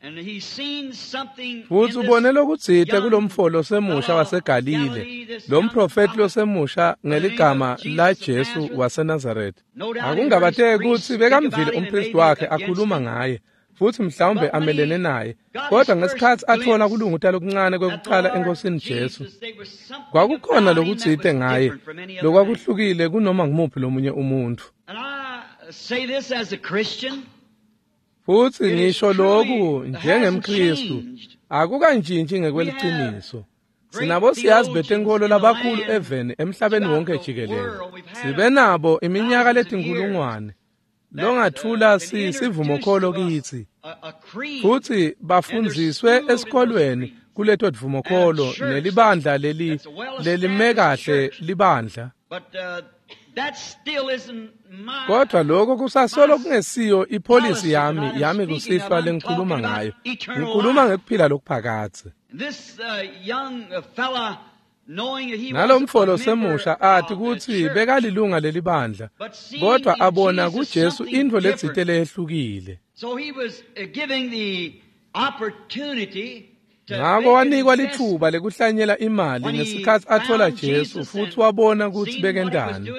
Speaker 2: Futsi ubone lokutsite kulomfo losemusha waseGalile, lo mprofethi losemusha ngeligama la Jesu waseNazaretha. Akungabateki kutsi bekamvile umpristi wakhe akhuluma ngaye, futsi mhlawumbe amelene naye, kodwa ngesikhatsi athola kulunguta lokuncane kwekucala eNkosini Jesu, kwakukhona lokutsite ngaye lokwakuhlukile kunoma ngumuphi lomunye umuntfu. Futsi ngisho loku njengemKhristu akukantshintshi ngekweliciniso. Sinabo siyazi betenkholo labakhulu eveni emhlabeni wonke jikelele. Sibe nabo iminyaka letinkhulungwane longathula sivumokholo kitsi, futsi bafundziswe esikolweni kuleto dvumokholo nelibandla lelime kahle libandla. Kodwa lokho kusasolo kungesiyo ipolisi yami kusihlwa lengikhuluma ngayo. Ngikhuluma ngekuphila lokuphakadze. Nalomfo losemusha athi kutsi bekalilunga lelibandla, kodwa abona kuJesu intfo letsite leyehlukile. Ngako wanikwa litfuba lekuhlanyela imali ngesikhatsi athola Jesu futsi wabona kutsi bekentani.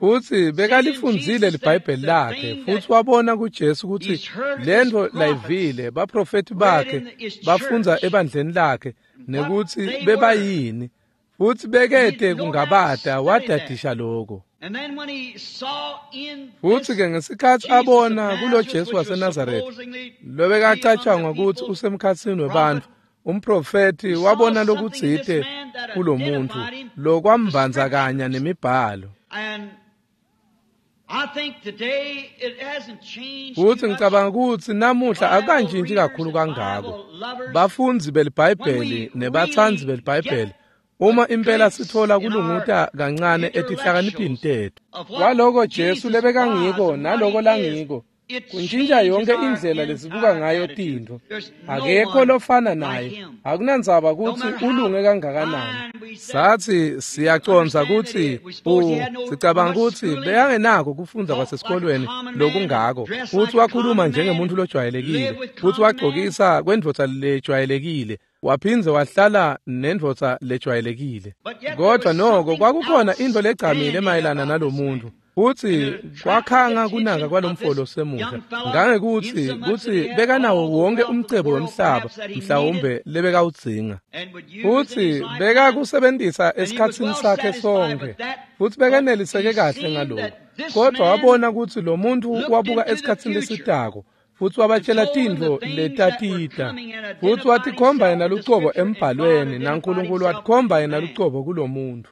Speaker 2: Futsi bekalifundzile liBhayibheli lakhe futsi wabona kuJesu kutsi lentfo layivile baprofethi bakhe bafundza ebandleni lakhe nekutsi bebayini, futsi bekete kungabata wadadisha lokho. Futsi ke ngesikhatsi abona kulo Jesu waseNazaretha lobekacatshangwa kutsi usemkhatsini webantfu, umprofethi wabona lokutsite kulomuntfu lokwambandzakanya nemibhalo. Futsi ngicabanga kutsi namuhla akukantshintshi kakhulu kangako. Bafundzi beliBhayibheli nebatsandzi beliBhayibheli, uma impela sithola kulunguta kancane etihlakaniphini tetfu kwaloko Jesu lebekangiko naloko langiko, kuntshintsha yonke indlela lesibuka ngayo tintfo. Akekho lofana naye, akunandzaba kutsi ulunge kangakanani. Sathi siyacondza kutsi sicabanga kutsi bekangenako kufundza kwasesikolweni lokungako, futsi wakhuluma njengemuntu lojwayelekile, futsi wagcokisa kwendvodza lejwayelekile, waphindze wahlala nendvodza lejwayelekile. Kodwa noko kwakukhona intfo legcamile mayelana nalomuntu, futsi kwakhanga kunaka kwalomfo losemusha ngangekutsi kutsi bekanawo wonke umcebo wemhlaba mhlawumbe lebekawudzinga, futsi bekakusebentisa esikhatsini sakhe sonke, futsi bekaneliseke kahle ngaloko. Kodwa wabona kutsi lo muntfu wabuka esikhatsini lesitako, futsi wabatshela tintfo letatita, futsi watikhomba yena lucobo embhalweni, naNkulunkulu watikhomba yena lucobo kulomuntu.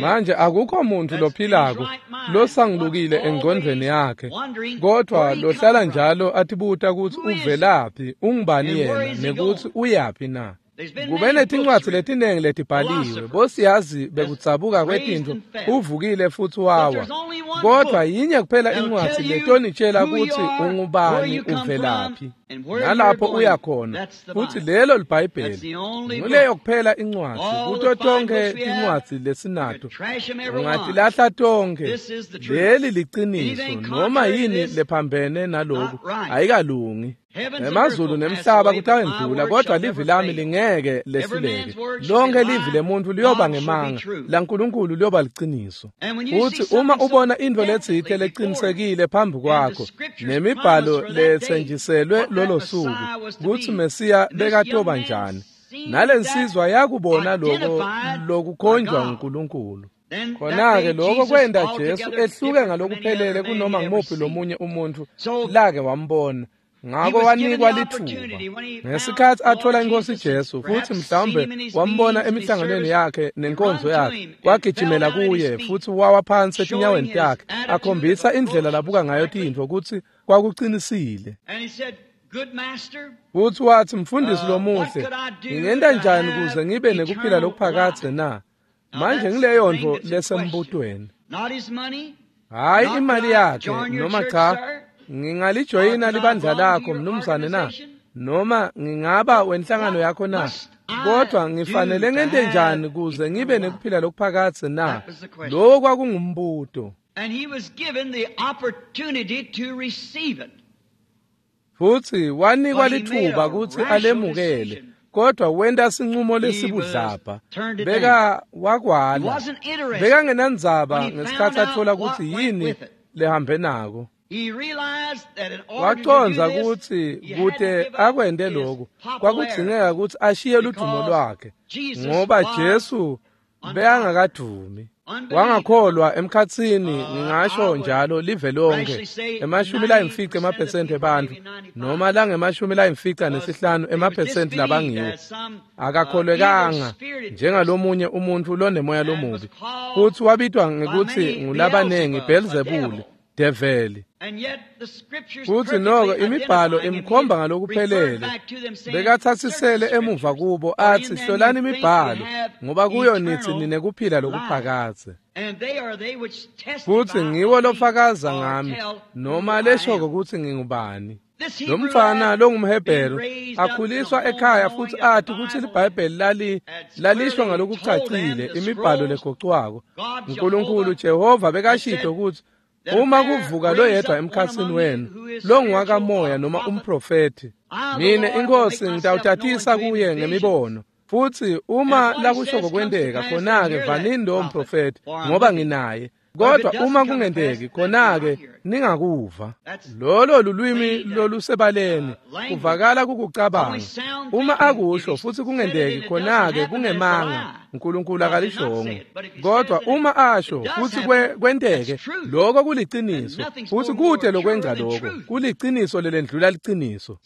Speaker 2: Manje akukho muntu lophilako losangulukile engcondvweni yakhe, kodwa lohlala njalo atibuta kutsi uvelaphi, ungubani yena, nekutsi uyaphi na. Kube netincwadzi letiningi letibhaliwe, bosiyazi bekudzabuka kwetintfo uvukile futsi wawa. Kodwa yinye kuphela incwadzi letonitshela kutsi ungubani, uvelaphi, nalapho uya khona, futsi lelo liBhayibheli. Nguleyo kuphela incwadzi kuto tonkhe tincwadzi lesinato. Ungatilahla tonkhe. Leli liciniso, noma yini lephambene naloku ayikalungi. Emazulu nemhlaba kutawendlula, kodwa livi lami lingeke lehluleke. Lonke livi lemuntfu liyoba ngemanga, laNkulunkulu liyoba liciniso. Futsi uma ubona intfo letsite lecinisekile phambi kwakho, nemibhalo letsenjiselwe lolo suku, kutsi Mesiya bekatoba njani, nalensizwa yakubona loko lokukhonjwa nguNkulunkulu. Khona-ke lokho kwenta Jesu ehluke ngalokuphelele kunoma ngumuphi lomunye umuntfu lake wambona. Ngako wanikwa lithuba ngesikhatsi athola inkosi Jesu, futhi mhlawumbe wambona emihlanganweni yakhe nenkonzo yakhe, wagijimela kuye futhi wawa phansi etinyaweni takhe, akhombisa indlela labuka ngayo tintfo kutsi kwakucinisile. Futhi wathi, mfundisi lomuhle, ngingenta njani kuze ngibe nekuphila lokuphakadze na? Manje ngileyo ntfo lesembutweni. Hhayi imali yakhe, noma cha, ngingalijoyina libandla lakho mnumzane na, noma ngingaba wenhlangano yakho na, kodwa ngifanele ngente njani kuze ngibe nekuphila lokuphakadze na? Lowo kwakungumbuto. Futsi wanikwa lithuba kutsi alemukele, kodwa wenta sinqumo lesibudlabha. Beka wakwala. Bekangenandzaba ngesikhatsi atfola kutsi yini lehambe nako. Wacondza kutsi kute akwente lokhu kwakudzingeka kutsi ashiye ludumo lwakhe, ngoba Jesu bekangakadumi. Wangakholwa emkhatsini, ngingasho njalo, live lonke, 95 emaphesenti ebantfu, noma lange-95 emaphesenti labangiwo, akakholwekanga njengalomunye umuntfu lonemoya lomubi, futsi wabitwa ngekutsi ngulabanengi Belzebuli, develi. Futsi noko imibhalo imkhomba ngalokuphelele. Bekatsatsisele emuva kubo athi, hlolani imibhalo, ngoba kuyo nithi ninekuphila lokuphakadze. Futsi ngiwo lofakaza ngami, noma leshoko kutsi ngingubani. Lo mfana longumHebheru akhuliswa ekhaya futsi athi kutsi liBhayibheli lalisho ngalokucacile imibhalo legocwako. uNkulunkulu Jehova bekashito kutsi uma kuvuka loyedwa emkhatsini wenu longuwakamoya noma umprofethi, mine inkosi ngitawutatisa kuye ngemibono. Futsi uma lakushoko kwenteka, khona-ke vanini lowo mprofethi, ngoba nginaye. Kodwa uma kungenteki, khona-ke ningakuva. Lolo lulwimi lolusebaleni, kuvakala kukucabanga. Uma akusho futsi kungenteki, khona-ke kungemanga, uNkulunkulu akalishongo. Kodwa uma asho futsi kwenteke, lokho kuliciniso, futsi kute lokwenza lokho, kuliciniso lelendlula liciniso.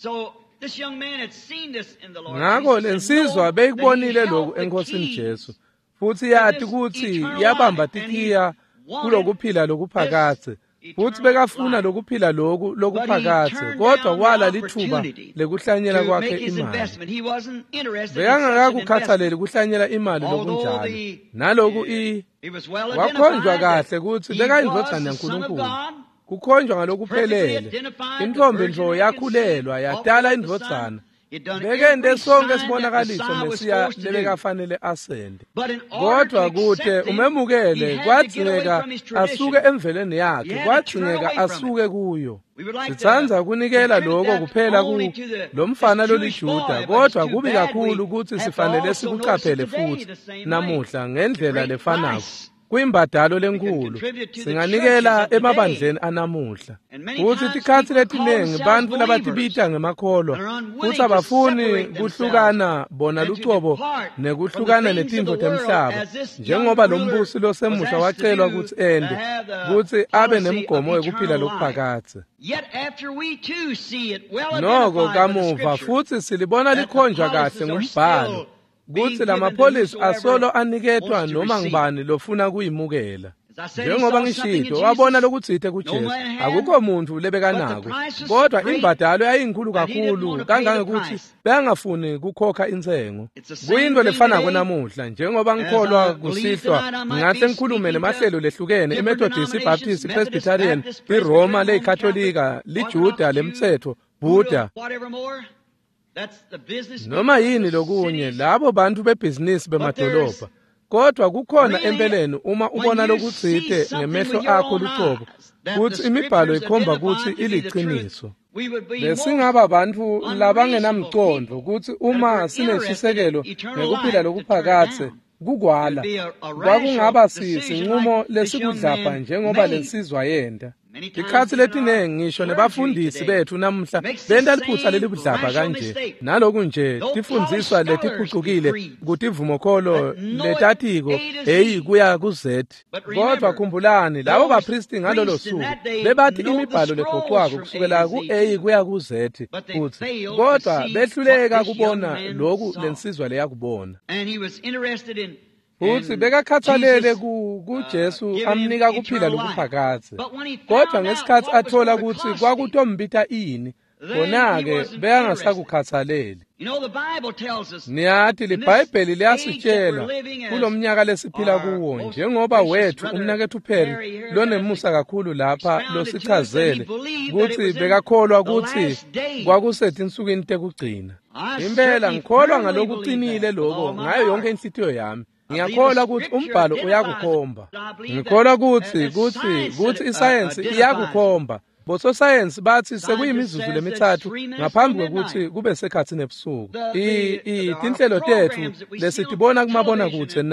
Speaker 2: Ngako lensizwa beyikubonile lokhu eNkosini Jesu, futsi yati kutsi yabamba tikhiya kulokuphila lokuphakadze, futsi bekafuna lokuphila loku lokuphakadze, kodwa wala lithuba lekuhlanyela kwakhe imali. Bekangakakukhatsaleli kuhlanyela imali lokunjalo. Naloku wakhonjwa kahle kutsi bekayindvodzana yaNkulunkulu, kukhonjwa ngalokuphelele. Intfombi nje yakhulelwa yatala indvodzana. Bekente sonke sibonakaliso Mesiya lebekafanele asende. Kodwa kute umemukele kwadzingeka asuke emveleni yakhe, kwadzingeka asuke kuyo. Sitsandza kunikela lokho kuphela ku lomfana loliJuda, kodwa kubi kakhulu kutsi sifanele sikucaphele futhi namuhla ngendlela lefanako. Kuyimbadalo lenkulu singanikela emabandleni anamuhla. Futsi tikhatsi letiningi bantfu labatibita ngemakholwa futsi abafuni kuhlukana bona lucobo nekuhlukana netintfo temhlaba, njengoba lo mbusi losemusha wacelwa kutsi ende, kutsi abe nemgomo wekuphila lokuphakadze. Noko kamuva futsi silibona likhonjwa kahle ngumbhalo kutsi lamapholisi asolo aniketwa noma ngubani lofuna kuyimukela. Njengoba ngishito, wabona lokutsite kuJesu. Akukho muntu lebekanako, kodwa imbadalo yayinkhulu kakhulu kangangekuthi bengafuni kukhokha intsengo. Kuyinto lefanako namuhla, njengoba ngikholwa kusihlwa ngingahle ngikhulume nemahlelo lehlukene, iMethodist, iBaptist, iPresbyterian, iRoma leyiKatolika, liJuda lemtsetfo, Buddha, noma yini lokunye, labo bantu bebhizinisi bemadolobha. Kodwa kukhona empeleni uma ubona lokutsite ngemehlo akho lucobo kutsi imibhalo ikhomba kutsi iliciniso. Besingaba bantfu labangenamcondvo kutsi uma sineshisekelo ngekuphila lokuphakadze kukwala kwakungaba sinqumo lesikudlapha njengoba lensizwa yenta. Tikhatsi letinengi ngisho nebafundisi betfu namuhla benta liphutsa lelibudlabha kanje, naloku nje tifundziswa letiphucukile kutivumokholo letatiko A kuya ku-Z. Kodwa khumbulani, labo baphristi ngalolo suku bebathi imibhalo legoqwako kusukela ku-A kuya ku-Z futsi, kodwa behluleka kubona loku lensizwa leyakubona. Futsi bekakhathalele kuJesu amnika kuphila lokuphakadze. Kodwa ngesikhatsi athola kutsi kwakutombita ini, khona-ke bekangasakukhathaleli. Niyati, liBhayibheli liyasitshela kulomnyaka lesiphila kuwo, njengoba wethu umnaketfu Perry lonemusa kakhulu lapha losichazele kutsi bekakholwa kutsi kwakusetinsukwini tekugcina. Impela ngikholwa ngalokuqinile lokho ngayo yonke inhlitiyo yami. Ngiyakholwa kutsi umbhalo uyakukhomba. Ngikholwa kutsi isayensi iyakukhomba. Bososayensi bathi sekuyimizuzu lemithathu ngaphambi kwekutsi kube sekhatsi nebusuku. Tinhlelo tetfu lesitibona kumabonakudze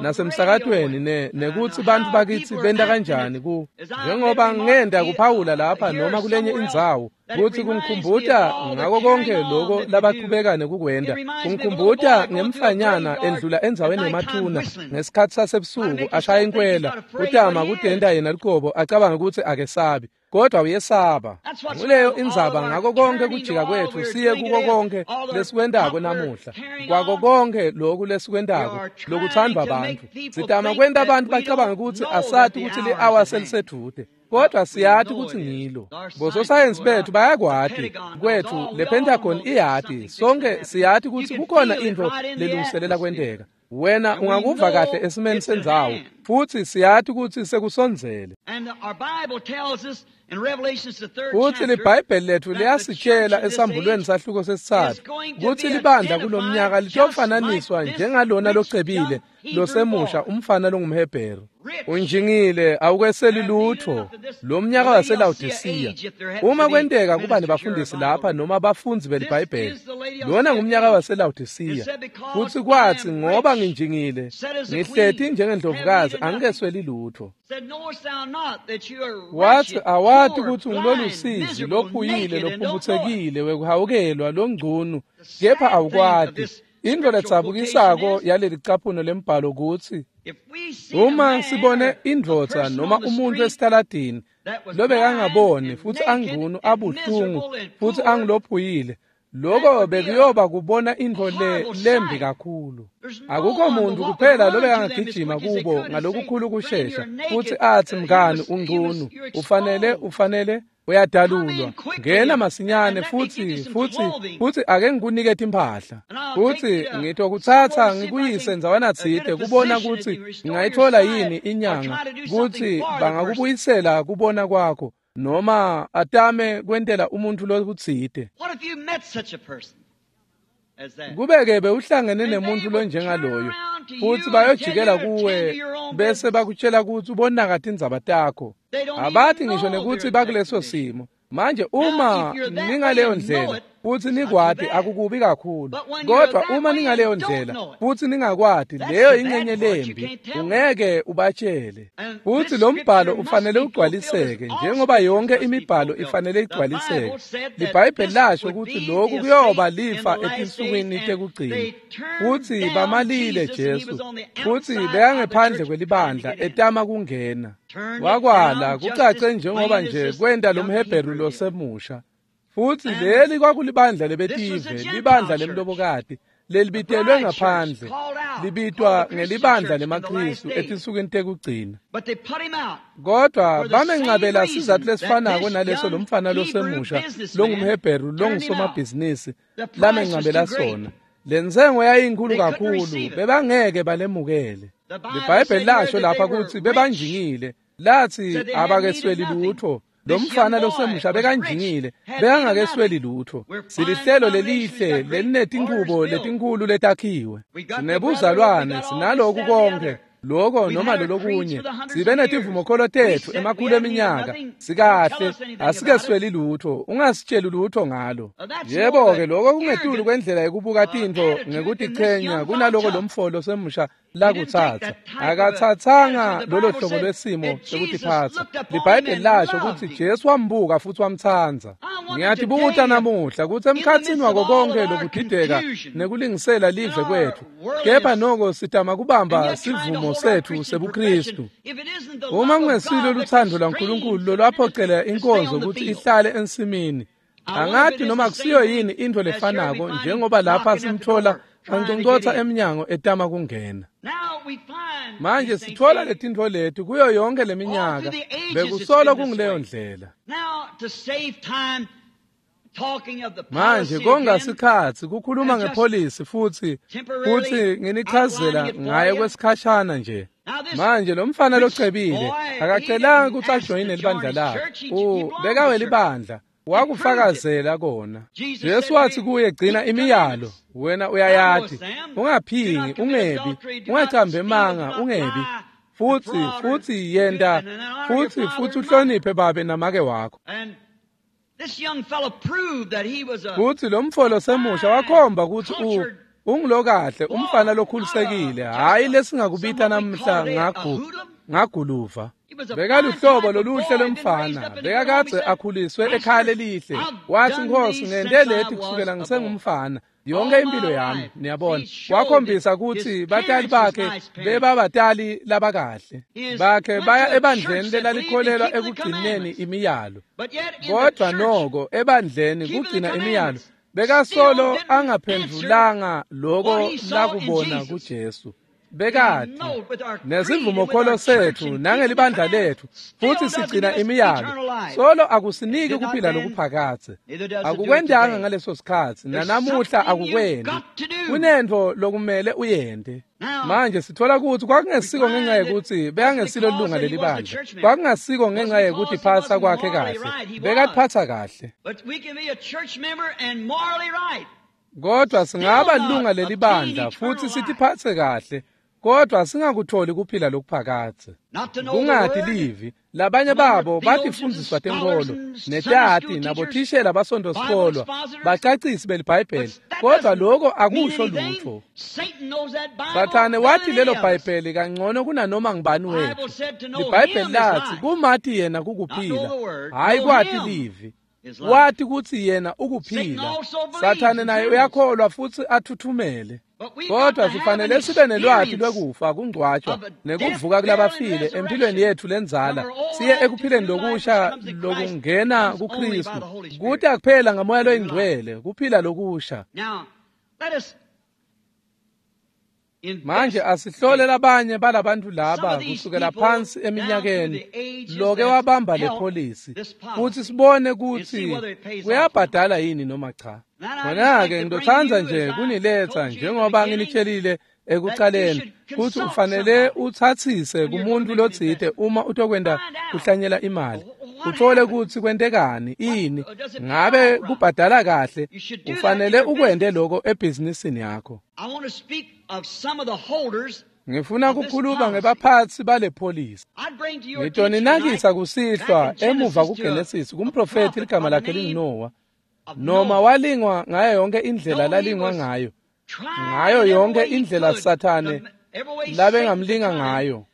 Speaker 2: nasemsakatweni nekutsi bantfu bakitsi benta kanjani ku njengoba ngenda kuphawula lapha noma kulenye indzawo kutsi kungikhumbuta ngako konke loko labaqhubeka nekukwenta. Kungikhumbuta ngemfanyana endlula endzaweni yemathuna ngesikhatsi sasebusuku ashaya inkwela utama kutenta yena luqobo acabanga kutsi akesabi, kodwa uyesaba. Nguleyo indzaba ngako konke kujika kwetfu siye kuko konke lesikwentako namuhla, kwako konke loku lesikwentako lokuthandwa bantfu. Sitama kwenta abantu bacabange kutsi asati kutsi li-awa selisedvute, kodwa siyati kutsi ngilo. Bososayensi bethu bayakwati kwethu, le Pentagon iyati, sonke siyati kutsi kukhona intfo lelungiselela kwenteka. Wena ungakuva kahle esimeni sendzawo, futsi siyati kutsi sekusondzele. Futsi liBhayibheli letfu liyasitshela esambulweni sahluko sesitsatfu kutsi libandla kulomnyaka litofananiswa njengalona locebile losemusha umfana longumHebheru. Unjingile, awukweseli lutfo. Lo mnyaka waseLawodisiya. Uma kwenteka kuba nebafundisi lapha noma abafundzi beliBhayibheli, lona ngumnyaka waseLawodisiya. Futsi kwatsi ngoba nginjingile, ngihleti njengendlovukazi, angikesweli lutfo. Wathi awati kutsi ngilolusizi lophuyile lophumutsekile wekuhawukelwa longcunu, kepha awukwati. Intfo ledzabukisako yaleli caphuno lembhalo kutsi uma sibone indvodza noma umuntu esitaladini lobekangaboni futsi angcunu abuhlungu futsi angilophuyile, lokho bekuyoba kubona intfo lembi kakhulu. Akukho muntu kuphela lobekangagijima kubo ngalokukhulu kushesha futsi atsi, mngani, ungcunu, ufanele uyadalulwa, ngena masinyane futsi ake ngikunike timphahla, futsi ngitokutsatsa ngikuyise ndzawana tsite kubona kutsi ngingayitfola yini inyanga kutsi bangakubuyisela kubona kwakho, noma atame kwentela umuntu lokutsite. Kube-ke bewuhlangene nemuntu lonjengaloyo, futsi bayojikela kuwe bese bakutshela kutsi ubonaka tindzaba takho. Abathi ngisho nekutsi bakuleso simo. Manje uma ningaleyo ndlela futsi nikwati, akukubi kakhulu. Kodwa uma ningaleyo ndlela futsi ningakwati, leyo ingcenye lembi, ungeke ubatshele. Futsi lo mbhalo ufanele ugcwaliseke njengoba yonke imibhalo ifanele igcwaliseke. LiBhayibheli lasho kutsi lokhu kuyoba lifa etinsukwini tekugcina. Futsi bamalile Jesu, futsi bekangephandle kwelibandla etama kungena. Wakwala kucace njengoba nje kwenta lomHebheru losemusha. Futsi leli kwakulibandla lebetive, libandla lemlobokati, lelibitelwe ngaphandle, libitwa ngelibandla lemaKhristu etinsukwini tekugcina. Kodwa bamencabela sizatfu lesifanako naleso lomfana losemusha longumHebheru longusomabhizinisi lamencabela sona. Lentsengo yayinkhulu kakhulu, bebangeke balemukele. LiBhayibheli lasho lapha kutsi bebanjingile, lathi abakesweli lutho. Lo mfana losemusha bekanjingile, bekangakesweli lutho. Silihlelo lelihle lelinetinchubo letinkhulu letakhiwe. Sinebuzalwane, sinaloku konke, loko noma lolokunye. Sibe netivumokholo tetfu emakhulu eminyaka. Sikahle, asikesweli lutho, ungasitsheli lutho ngalo. Yebo-ke, loko kungetulu kwendlela yekubuka tintfo ngekutichenya kunaloko lo mfo losemusha lakutsatsa. Akatsatsanga lolo hlobo lwesimo sekutiphatsa. LiBhayibheli lasho kutsi Jesu wambuka futhi wamtsandza. Ngiyatibuta namuhla kutsi emkhatsini wako konke lokudideka nekulingisela live kwetfu, kepha noko sitama kubamba sivumo setfu sebuKristu. Uma kungesilo lutsandvo lwaNkulunkulu lolwaphocela inkonzo kutsi ihlale ensimini, angathi noma kusiyo yini intfo lefanako njengoba lapha simthola anconcotsa emnyango etama kungena. Manje sithola letintfo leti kuyo yonke leminyaka, bekusolo kunguleyo ndlela. Manje konga sikhatsi kukhuluma ngepholisi futhi nginichazela ngaye kwesikhashana nje. Manje lo mfana locebile akacelanga kutsi ajoyine libandla lakhe. Bekawelibandla, wakufakazela kona. Jesu wathi kuye, gcina imiyalo, wena uyayati, ungaphingi, ungebi, ungacambi emanga, ungebi, futhi yenda, futhi uhloniphe babe namake wakho. Futhi lo mfo losemusha wakhomba kutsi ungulokahle, umfana lokhulisekile, hhayi lesingakubita namhla ngaguluva. Bekaluhlobo loluhle lomfana, bekakadze akhuliswe ekhaya lelihle. Wathi, Nkosi, ngente leti kusukela ngisengumfana yonke impilo yami. Niyabona, wakhombisa kutsi batali bakhe bebabatali labakahle bakhe, baya ebandleni lelalikholelwa ekugcineni imiyalo. Kodwa noko ebandleni kugcina imiyalo bekasolo angaphendvulanga loko lakubona kuJesu. Bekati nesivumokholo setfu nangelibandla letfu futhi sigcina imiyalo, solo akusiniki kuphila lokuphakadze. Akukwentanga ngaleso sikhatsi, nanamuhla akukwendi. Kunentfo lokumele uyente. Manje sithola kutsi kwakungesiko ngenxa yekutsi bekangesilo lunga lelibandla, kwakungasiko ngenxa yekuthi phatsa kwakhe kahle, bekatiphatsa kahle. Kodwa singaba lunga lelibandla futhi sitiphatse kahle, kodwa singakutholi kuphila lokuphakadze. Kungati livi, labanye babo batifundiswa tenkholo, netati nabothishela basonto-sikolwa, bacacisi beliBhayibheli, kodwa loko akusho lutho. Sathane wathi lelo Bhayibheli kangcono kunanoma ngubani wethu. LiBhayibheli lathi kumati yena kukuphila, hhayi kwati livi. Wathi kutsi yena ukuphila. Sathane naye uyakholwa futsi athuthumele. Kodwa sifanele sibe nelwati lwekufa, kungcwatshwa nekuvuka kulabafile empilweni yetfu lendzala, siye ekuphileni lokusha lokungena kuKristu. Kuta kuphela ngaMoya loyiNgcwele, kuphila lokusha. Manje asihlole labanye balabantu laba kusukela phansi eminyakeni loke wabamba le pholisi futhi sibone kutsi kuyabhadala yini noma cha. Khona-ke ngitotsandza nje kuniletsa njengoba nginitshelile ekucaleni kutsi ufanele utsatsise kumuntu lotsite uma utokwenta kuhlanyela imali, uthole kutsi kwentekani, ini, ngabe kubhadala kahle. Ufanele ukwente loko ebhizinisini yakho. Ngifuna kukhuluma ngebaphatsi bale pholisi. Ngitoninakisa kusihlwa emuva kuGenesis kumprofethi ligama lakhe linguNowa. Noma walingwa ngayo yonke indlela lalingwa ngayo, ngayo yonke indlela Sathane labengamlinga ngayo,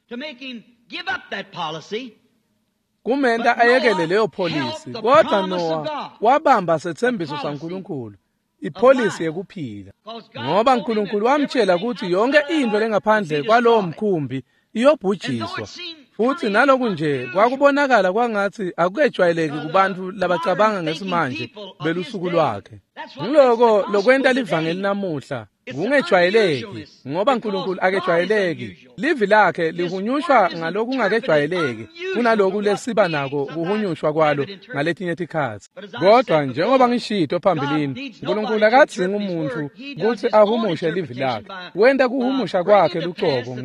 Speaker 2: kumenta ayekele leyo pholisi. Kodwa Noah wabamba setsembiso saNkulunkulu, ipholisi yekuphila, ngoba uNkulunkulu wamtshela ukuthi yonke into lengaphandle kwalowo mkhumbi iyobhujiswa. Futhi naloku nje kwakubonakala kwangathi akukejwayeleki kubantu labacabanga ngesimanje belusuku lwakhe. Ngiloko lokwenta livangeli namuhla Kungejwayeleki, ngoba uNkulunkulu akejwayeleki. Livi lakhe lihunyushwa ngalokungakejwayeleki kunaloku lesiba nako kuhunyushwa kwalo ngaletinye tikhatsi. Kodwa njengoba ngishito phambilini, uNkulunkulu akadzingi umuntu kutsi ahumushe livi lakhe. Wenta kuhumusha kwakhe lucobo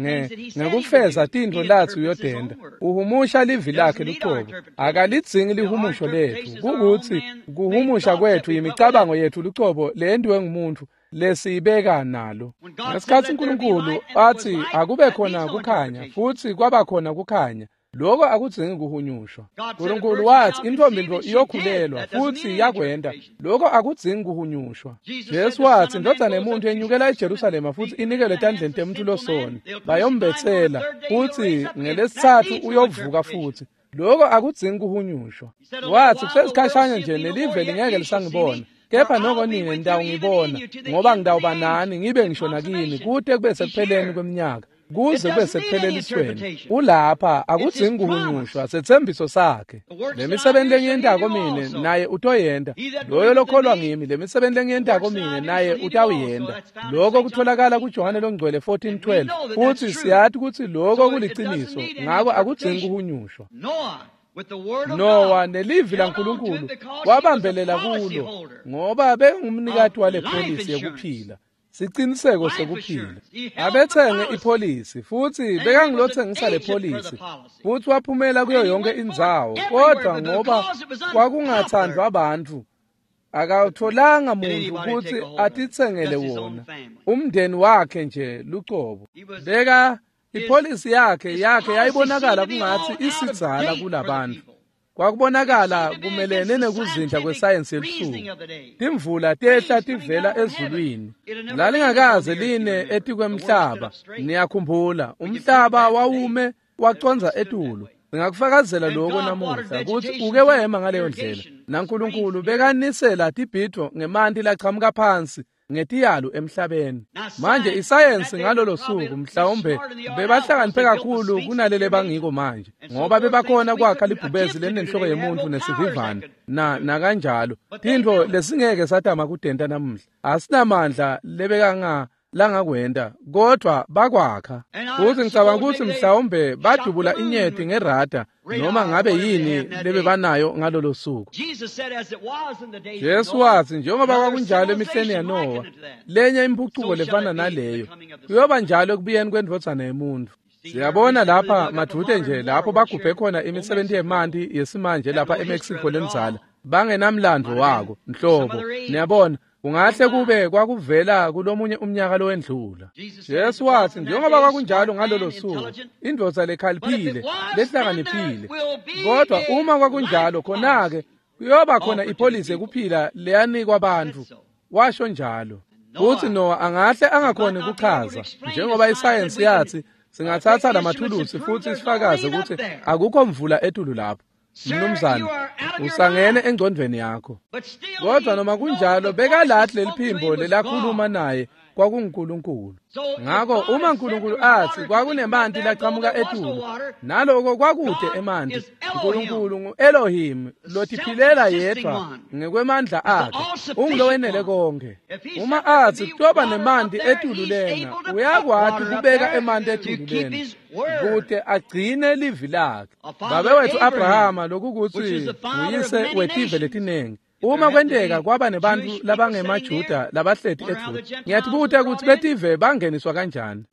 Speaker 2: ngekufeza tintfo latsi uyotenta. Uhumusha livi lakhe lucobo. Akalidzingi lihumusho letfu. Kukutsi kuhumusha kwetfu imicabango yetfu lucobo leyentiwe ngumuntu lesiyibeka nalo. Ngesikhatsi uNkulunkulu athi akube khona kukhanya, futsi kwaba khona kukhanya, lokho akudzingi kuhunyushwa. uNkulunkulu wathi intfombi ntfo iyokhulelwa, futsi yakwenta. Lokho akudzingi kuhunyushwa. Jesu wathi indvodzana yemuntu yenyukela eJerusalema futsi inikelwe etandleni temuntu losoni, bayombetsela, futsi ngelesitsatfu uyovuka futsi. Lokho akudzingi kuhunyushwa. Wathi kusesikhashana nje nelive lingeke lisangibona, kepha noko nine nitawungibona, ngoba ngitawuba nani ngibe ngisho nakini kute kube sekupheleni kweminyaka, kuze kube sekuphelelelisweni. Ulapha, akudzingi kuhunyushwa, setsembiso sakhe. Lemisebenti lengiyentako mine naye utoyenta. Loyo lokholwa ngimi, lemisebenti lengiyentako mine naye utawuyenta. Lokho kutholakala kuJohane longcwele 14:12. Futsi siyati kutsi lokho kuliciniso, ngako akudzingi kuhunyushwa. Nowa nelivi laNkulunkulu wabambelela kulo, ngoba bengumnikati wale pholisi yekuphila, siciniseko sekuphila. Abetsenge ipholisi, futsi bekangilotsengisa le pholisi, futsi waphumela kuyo yonke indzawo, kodwa ngoba kwakungathandwa abantu, akawutholanga muntu kutsi atitsengele wona, umndeni wakhe nje lucobo. Beka ipholisi yakhe yayibonakala kungatsi isidzala kulabantu. Kwakubonakala kumelene nekuzindla kwesayensi yelusuku. Timvula tehla tivela ezulwini, lalingakaze line etikwemhlaba. Niyakhumbula, umhlaba wawume wacondza etulu. Singakufakazela lokho namuhla kutsi uke wema ngaleyo ndlela. NaNkulunkulu bekanisela tibhidvo ngemanti lachamuka phansi ngetiyalu emhlabeni. Manje isayensi ngalolo suku mhlawumbe bebahlakaniphe kakhulu kunalele bangiko manje, ngoba bebakhona kwakha libhubezi lenenhloko yemuntu nesivivane na kanjalo. Tintfo lesingeke satama kudenta namuhla, asinamandla lebekanga langakwenta, kodwa bakwakha. Futsi ngicabanga kutsi mhlawumbe badubula inyeti ngerada noma ngabe yini lebebanayo ngalolo suku. Jesu wathi njengoba kwakunjalo emihleni yaNowa, lenye impucuko lefana naleyo kuyoba njalo ekubuyeni kwendvodzana yemuntu. Siyabona lapha madvute nje lapho bagubhe khona imisebenti yemanti yesimanje lapha eMexico lendzala, bangenamlandvo wako nhlobo. Niyabona, kungahle kube kwakuvela kulomunye umnyaka lowendlula. Jesu wathi njengoba kwakunjalo ngalolo suku, indvodza lekhaliphile lehlakaniphile, kodwa uma kwakunjalo khona-ke kuyoba khona ipholisi yekuphila leyanikwa abantu. Washo njalo. Futsi Noah angahle angakhoni kuchaza, njengoba isayensi yathi singathatha lamathulusi futsi sifakaze kutsi akukho mvula etulu lapho. Mnumzane, usangene engcondvweni yakho. Kodwa noma kunjalo bekalathi leliphimbo lelakhuluma naye kwakunguNkulunkulu. Ngako uma uNkulunkulu athi kwakunemanti lachamuka etulu, naloko kwakude emanti, uNkulunkulu ngu-Elohim lotiphilela yedvwa ngekwemandla akhe, ungulowenele konke. Uma athi kutoba nemanti etulu lena, uyakwati kubeka emanti etulu lena kute agcine livi lakhe. Babe wethu Abrahama, lokukuthi uyise wetive letinengi, uma kwenteka kwaba nebantu labangemaJuda labahleti edvute, ngiyatibuta kutsi betive bangeniswa kanjani.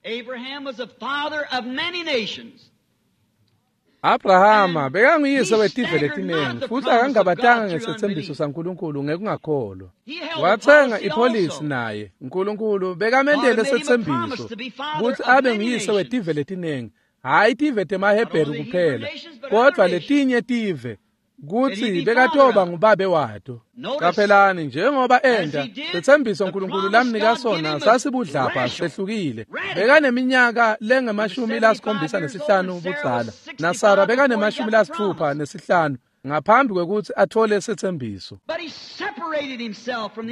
Speaker 2: Abrahama bekanguyise wetive letinengi, futsi akangabatanga ngesetsembiso saNkulunkulu ngekungakholwa. Watsenga ipholisi naye. uNkulunkulu bekamendele setsembiso kutsi abe nguyise wetive letinengi, hhayi tive temaHebheru kuphela, kodwa letinye tive, kutsi bekatoba ngubabe wato. Qaphelani, njengoba enta setsembiso uNkulunkulu lamnika sona sasibudlabha sehlukile. Bekaneminyaka lengama-75 budzala, naSara bekane-65 ngaphambi kwekutsi athole setsembiso.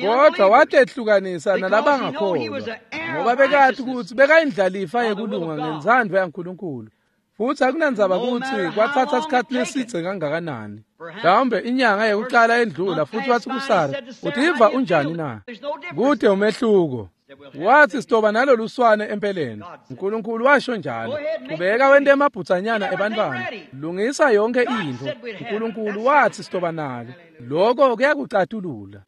Speaker 2: Kodwa watehlukanisa nalabangakholwa, ngoba bekati kutsi bekayindlalifa yekulunga ngentsandvo yaNkulunkulu. Futsi akunandzaba kutsi kwatsatsa sikhatsi lesidze kangakanani. Mhlawumbe inyanga yekucala endlula, futsi watsi kuSara, utiva unjani na? Kute umehluko. Wathi sitoba nalolu swane empeleni. uNkulunkulu washo njalo. Qhubeka wente emabhutsanyana ebantwana. Lungisa yonke intfo. uNkulunkulu wathi sitoba nalo. Lokho kuyakucatulula.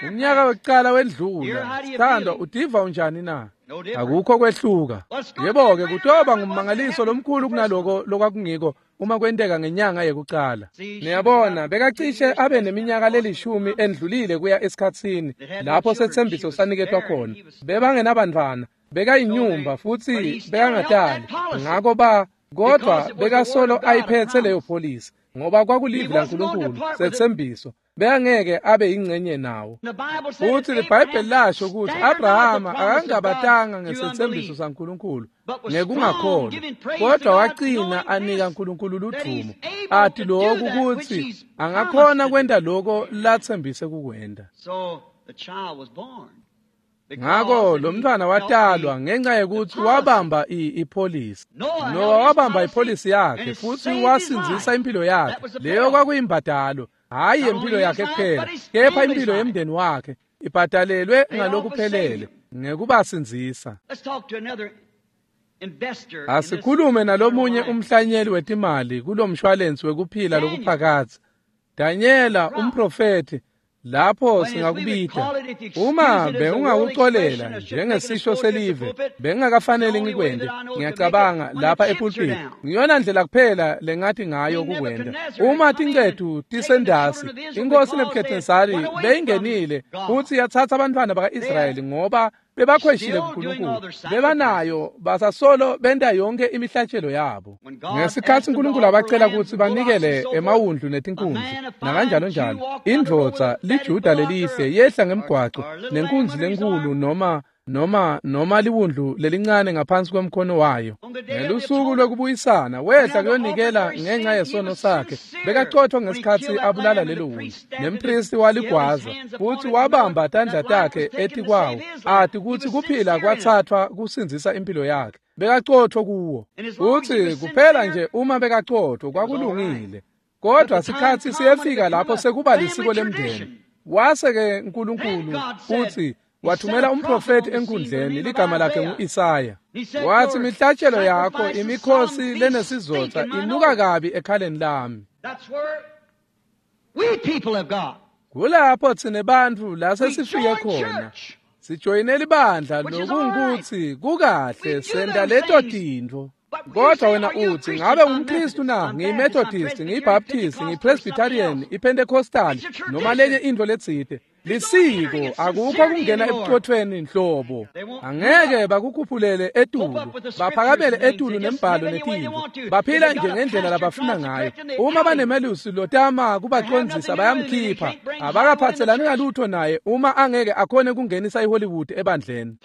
Speaker 2: Umnyaka wekucala wendlula. Sithandwa, utiva unjani na? Akukho kwehluka. Yebo-ke kutoba ngummangaliso lomkhulu kunaloko lokwakungiko uma kwenteka ngenyanga yekucala. Niyabona, bekacishe abe neminyaka lelishumi endlulile kuya esikhatsini lapho setsembiso saniketwa khona. Bebangenabantwana, bekayinyumba futsi bekangatali. Ngako kodwa bekasolo ayiphethe leyo pholisi ngoba kwakulivi laNkulunkulu setsembiso. Bekangeke abe yingcenye nawo. Futhi iBhayibheli lasho ukuthi Abrahama akangabatanga ngesetsembiso saNkulunkulu ngekungakholwa, kodwa wacina anika uNkulunkulu ludvumo, athi lokhu ukuthi angakhona kwenta lokho latsembise kukwenta. Ngako lo mntwana watalwa ngenxa yekuthi wabamba ipholisi. Noah wabamba ipholisi yakhe futhi wasindzisa impilo yakhe. Leyo kwakuyimbadalo, hhayi impilo yakhe kuphela, kepha impilo yemndeni wakhe ibhadalelwe ngalokuphelele ngekubasindzisa. Asikhulume nalomunye umhlanyeli wetimali kulomshwalensi wekuphila lokuphakadze. Danyela umprofethi, lapho singakubita. Uma bengingakucolela njengesisho selive, bengingakafanele ngikwente. Ngiyacabanga lapha epulpiti ngiyona ndlela kuphela lengathi ngayo kukwenta. Uma tincethu tisendasi, inkosi Nebuchadnezzari beyingenile futhi yathatha abantwana baka-Israyeli ngoba bebakhweshile kuNkulunkulu. Bebanayo basasolo benta yonke imihlatshelo yabo. Ngesikhathi uNkulunkulu abacela ukuthi banikele emawundlu netinkunzi nakanjalo njalo, indvodza liJuda lelihle yehla ngemgwaco nenkunzi lenkulu noma liwundlu lelincane ngaphansi kwemkhono wayo. Ngelusuku lwekubuyisana wehla kuyonikela ngenxa yesono sakhe. Bekacotfwa ngesikhathi abulala lelo wundlu, nempristi waligwaza futhi wabamba tandla takhe etikwawo, athi kutsi kuphila kwathathwa kusindzisa impilo yakhe. Bekacotfwa kuwo, futhi kuphela nje uma bekacotfwa kwakulungile. Kodwa sikhathi siyefika lapho sekuba lisiko lemndeni. Wase-ke uNkulunkulu uthi wathumela umprofeti enkundleni, ligama lakhe ngu-Isaya. Wathi imihlatshelo yakho, imikhosi lenesizotha inuka kabi ekhaleni lami. Kulapho thina bantfu la sesifike khona. Sijoyinela ibandla lokungutsi kukahle senta leto tintfo. Kodwa wena uthi ngabe ngumKristu na? NgiyiMethodist, ngiyiBaptist, ngiyiPresbyterian, iPentecostal noma lenye intfo letsite. Lisiko, akukho kungena ebucothweni nhlobo. Angeke bakukhuphulele etulu, baphakamele etulu nembhalo netintfo. Baphila nje ngendlela labafuna ngayo. Uma banemelusi lotama kubacondzisa bayamkhipha. Abakaphathelani ngalutho naye uma angeke akhone kungenisa iHollywood ebandleni.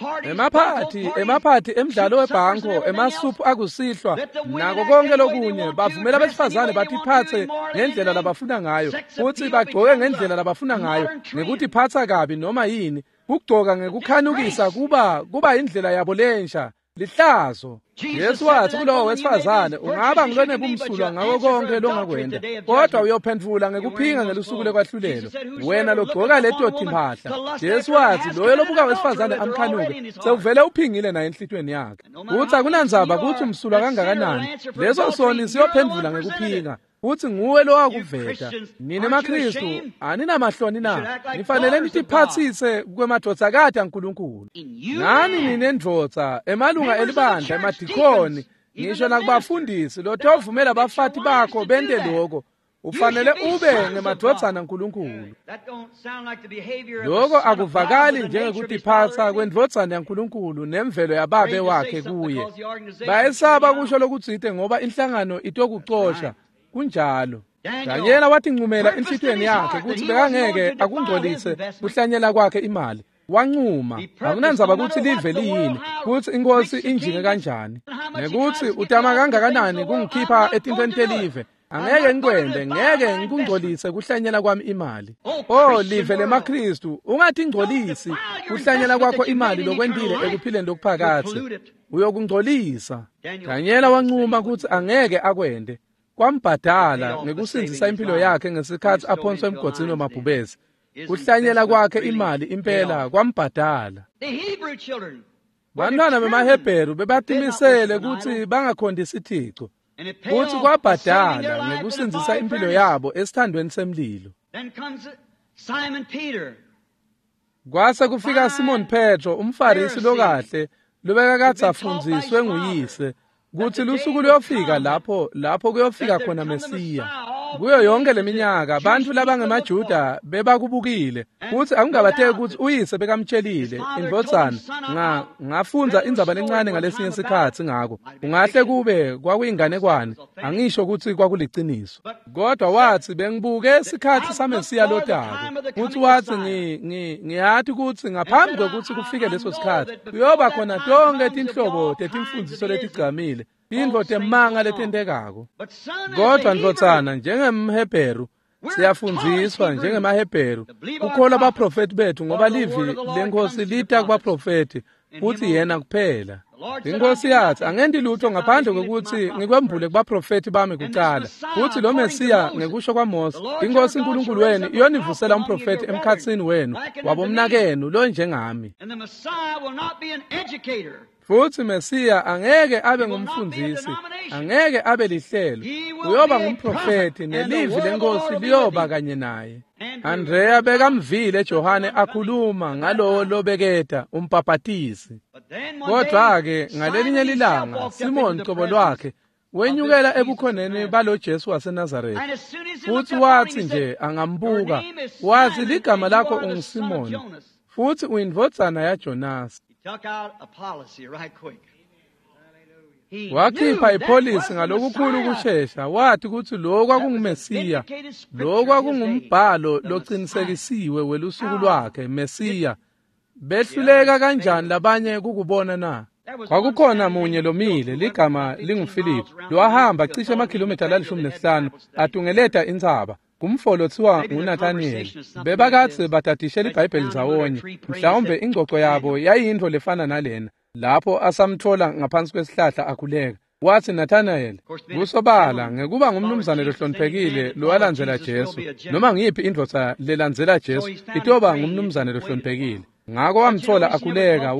Speaker 2: Emaphathi emidlalo webhanko, emasuphu akusihlwa, nako konke lokunye, bavumela abesifazane batiphatse ngendlela labafuna ngayo, futhi bagcoke ngendlela labafuna ngayo, ngekutiphatsa kabi noma yini. Kugcoka ngekukhanukisa kuba indlela yabo lensha. Lihlazo. Yesu wathi kulowo wesifazane, ungaba ngilonebumsulwa ngako konke longakwenta, kodwa uyophendvula ngekuphinga ngelusuku lekwahlulelo. Wena logcoka leto timphahla. Jesu wathi loyo lobuka wesifazane amkhanuke, sewuvele uphingile naye enhlitiyweni yakhe. Kutsi akunandzaba kutsi umsulwa kangakanani, leso soni siyophendvula ngekuphinga. Uthi nguwe lowakuveta. Nine maKristu aninamahloni na? Nifanele nitiphatsise kwemadvodzakati aNkulunkulu. Nani ninendvodza, emalunga elibandla, emadikoni, ngisho nakubafundisi lotovumela abafati bakho bente lokho. Ufanele ube ngemadvodzana aNkulunkulu. Lokho akuvakali njengekutiphatsa kwendvodzana yaNkulunkulu nemvelo yababe wakhe kuye. Bayesaba kusho lokutsite ngoba inhlangano itokucosha. Kunjalo. Danyela watincumela enhlitiyweni yakhe kutsi bekangeke akungcolise kuhlanyela kwakhe imali. Wancuma, akunandzaba kutsi live liyini, kutsi inkosi injinge kanjani, nekutsi utama kangakanani kungikhipha etintfweni telive. Angeke ngikwente, ngeke ngikungcolise kuhlanyela kwami imali. Oh live lemaKristu, ungatingcolisi kuhlanyela kwakho imali lokwentile ekuphileni lokuphakadze. Uyokungcolisa. Danyela wancuma kutsi angeke akwente. Kwambhadala ngekusindzisa impilo yakhe ngesikhathi aphonswa emgodzini wemabhubesi. Kuhlanyela kwakhe imali impela kwambhadala. Bantwana bemaHebheru bebatimisele kutsi bangakhondisi Thixo, kutsi kwabhadala ngekusindzisa impilo yabo esithandweni semlilo. Kwase kufika Simon Petro, umFarisi lokahle, lobekakadze afundziswe nguyise kutsi lusuku luyofika lapho kuyofika khona Mesiya. Kuyo yonke leminyaka bantfu labangemaJuda bebakubukile kutsi akungabateki kutsi uyise bekamtshelile indvodzana. Ngafundza indzaba lencane ngalesinye sikhatsi ngako, ungahle kube kwakuyinganekwane, angisho kutsi kwakuliciniso, kodwa wathi bengibuke sikhatsi saMesiya lotako, futhi wathi ngiyati kutsi ngaphambi kwekutsi kufike leso sikhatsi kuyoba khona tonke tinhlobo tetimfundziso letigcamile, tintfo temanga letentekako. Kodwa ndvodzana, njengemHebheru siyafundziswa njengemaHebheru kukholwa baprofeti bethu, ngoba livi leNkhosi lita kubaprofeti futhi yena kuphela. Inkosi yathi angenti lutho ngaphandle kwekutsi ngikwembule kubaprofeti bami kucala. Futhi lo Mesiya ngekusho kwaMose, iNkhosi uNkulunkulu wenu iyonivusela umprofeti emkhatsini wenu wabomnakenu lo njengami. Futhi Mesiya angeke abe ngumfundzisi, angeke abe lihlelo, uyoba ngumprofeti nelivi leNkhosi liyoba kanye naye. Andrea bekamvile Johane akhuluma ngalowo lobeketa umbhaphatisi. Kodwa-ke ngalelinye lilanga Simon cobo lwakhe wenyukela ebukhoneni balo Jesu waseNazaretha, futhi wathi nje angambuka wathi, ligama lakho unguSimon futhi uyindvodzana yaJonasi. Wakhipha ipholisi ngalokukhulu kushesha, wathi kutsi lo kwakunguMesiya, lo kwakungumbhalo locinisekisiwe welusuku lwakhe, Mesiya. Behluleka kanjani labanye kukubona na? Kwakukhona munye lomile, ligama linguFiliphu, lowahamba cishe emakhilomitha la15 atungeleta intsaba, kumfolo thiwa nguNathaniyeli. Bebakadze batadishe liBhayibheli ndzawonye, mhlawumbe ingcoco yabo yayintfo lefana nalena. Lapho asamthola ngaphansi kwesihlahla akhuleka, wathi Nathanayeli, kusobala ngekuba ngumnumzane lohloniphekile lowalandzela Jesu, noma ngiyiphi indvodza lelandzela Jesu itoba ngumnumzane lohloniphekile. Ngako wamthola akhuleka,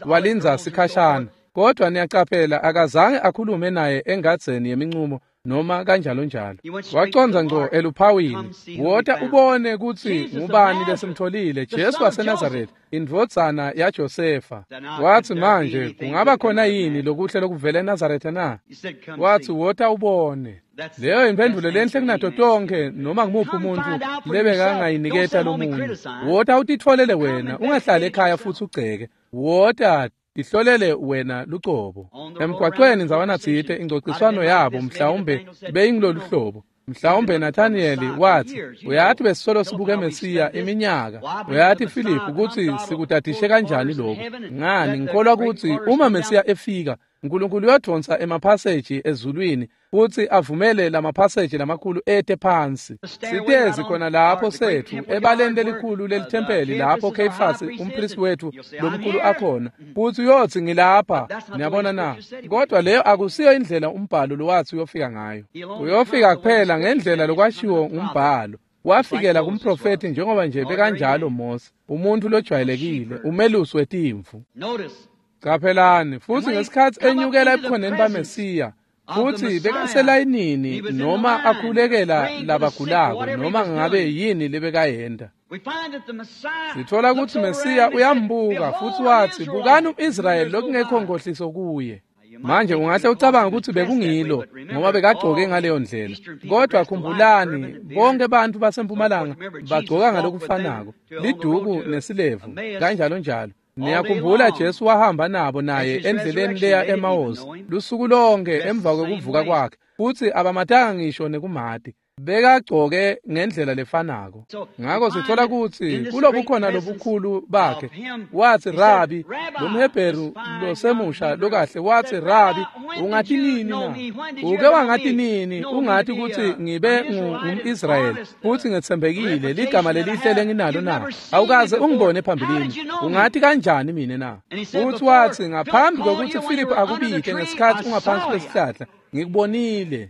Speaker 2: walindza sikhashana, kodwa niyacaphela akazange akhulume naye engadzeni yemincumo noma kanjalo njalo. Wacondza ngco eluphawini, wota ubone kutsi ngubani lesimtholile, Jesu waseNazaretha, indvodzana yaJosefa. Wathi manje kungaba khona yini lokuhle lokuvela eNazaretha na? Wathi wota ubone. Leyo imphendulo lenhle kunato tonke noma ngumuphi umuntu lebekangayiniketa lomunye. Wota utitfolele wena, ungahlali ekhaya futhi ugceke. Wota tihlolele wena lucobo. Emgwaqweni ndzawana tsite ingcociswano yabo mhlawumbe beyingilolu hlobo. Mhlawumbe Nathaniyeli wathi, uyathi besisolo sibuke Mesiya iminyaka, uyathi Filiphu kutsi sikutadishe kanjani lokhu. Ngani ngikholwa kutsi uma Mesiya efika, uNkulunkulu uyodvonsa emaphaseji ezulwini futhi avumele lamaphaseji lamakhulu ete phansi. Sitezi khona lapho sethu ebaleni lelikhulu lelithempeli lapho Kheyifasi umpristi wethu lomkhulu akhona, futhi uyothi ngilapha. Niyabona na? Kodwa leyo akusiyo indlela umbhalo lowathi uyofika ngayo. Uyofika kuphela ngendlela lokwashiwo ngumbhalo. Wafikela kumprofeti njengoba nje bekanjalo Mose, umuntu lojwayelekile, umelusi wetimvu. Caphelani, futhi ngesikhatsi enyukela ebukhoneni baMesiya, futhi bekaselayinini noma akhulekela labagulako noma ngabe yini lebekayenta. Sithola kutsi Mesiya uyambuka futhi wathi, bukani umIsrayeli lokungekho nkohliso kuye. Manje ungahle ucabanga ukuthi bekungilo ngoba bekagcoke ngaleyo ndlela, kodwa khumbulani bonke bantu basempumalanga bagcoka ngalokufanako, liduku nesilevu kanjalo njalo. Niyakhumbula Jesu wahamba nabo naye endleleni leya eMaosi lusuku lonke emva kwekuvuka kwakhe, futhi abamatanga ngisho nekumati. Bekagcoke ngendlela lefanako. Ngako sithola kutsi kulobukhona lobukhulu bakhe wathi, Rabi, lomHebheru losemusha lokahle wathi, Rabi, ungathi nini na? Uke wangathi nini ungathi kutsi ngibe ngumIsrayeli futhi ngetsembekile ligama lelihle lenginalo na? Awukaze ungibone phambilini, ungathi kanjani mina na? Futhi wathi ngaphambi kokuthi Philip akubike ngesikhathi ungaphansi kwesihlahla, Ngikubonile.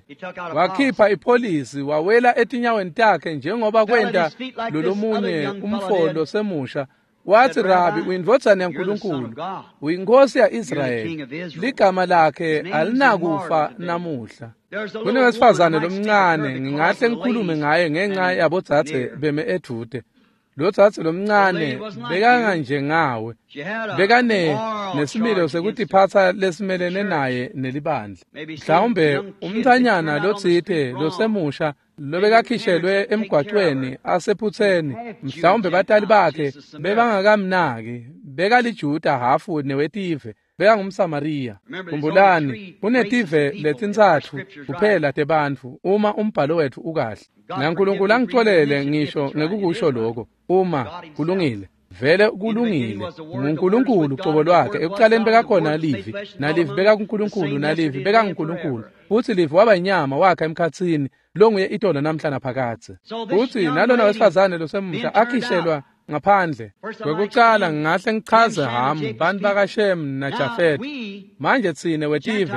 Speaker 2: Wakhipha ipholisi wawela etinyaweni takhe njengoba kwenta lolomunye umfo losemusha. Wathi, Rabi, uyindvodzana yaNkulunkulu, uyinkosi ya-Israyeli. Ligama lakhe alinakufa namuhla. Kunewesifazane lomncane, ngingahle ngikhulume ngaye ngenxa yabodzadze beme edude. Lo dzadze lomncane bekanganjengawe, bekane nesimilo sekutiphatsa lesimelene naye nelibandla. Mhlawumbe umntfanyana lotsite losemusha lobekakhishelwe emgwacweni asephutseni, mhlawumbe batali bakhe bebangakamnaki, bekaliJuda hafu newetive, bekangumSamariya. Khumbulani, kunetive letintsatfu kuphela tebantfu uma umbhalo wetfu ukahle. NaNkulunkulu angicolele ngisho ngekukusho lokho, uma kulungile. Vele kulungile. NguNkulunkulu ucobo lwakhe. Ekuqaleni bekakhona Livi, naLivi bekakuNkulunkulu, naLivi bekanguNkulunkulu. Futsi Livi waba inyama wakha emkhatsini, longuye itolo namhla naphakadze. Futsi nalona wesifazane losemusha akhishelwa ngaphandle. Kwekucala ngingahle ngichaze Hamu, bantu bakaShem naJafet. Manje tsine wetive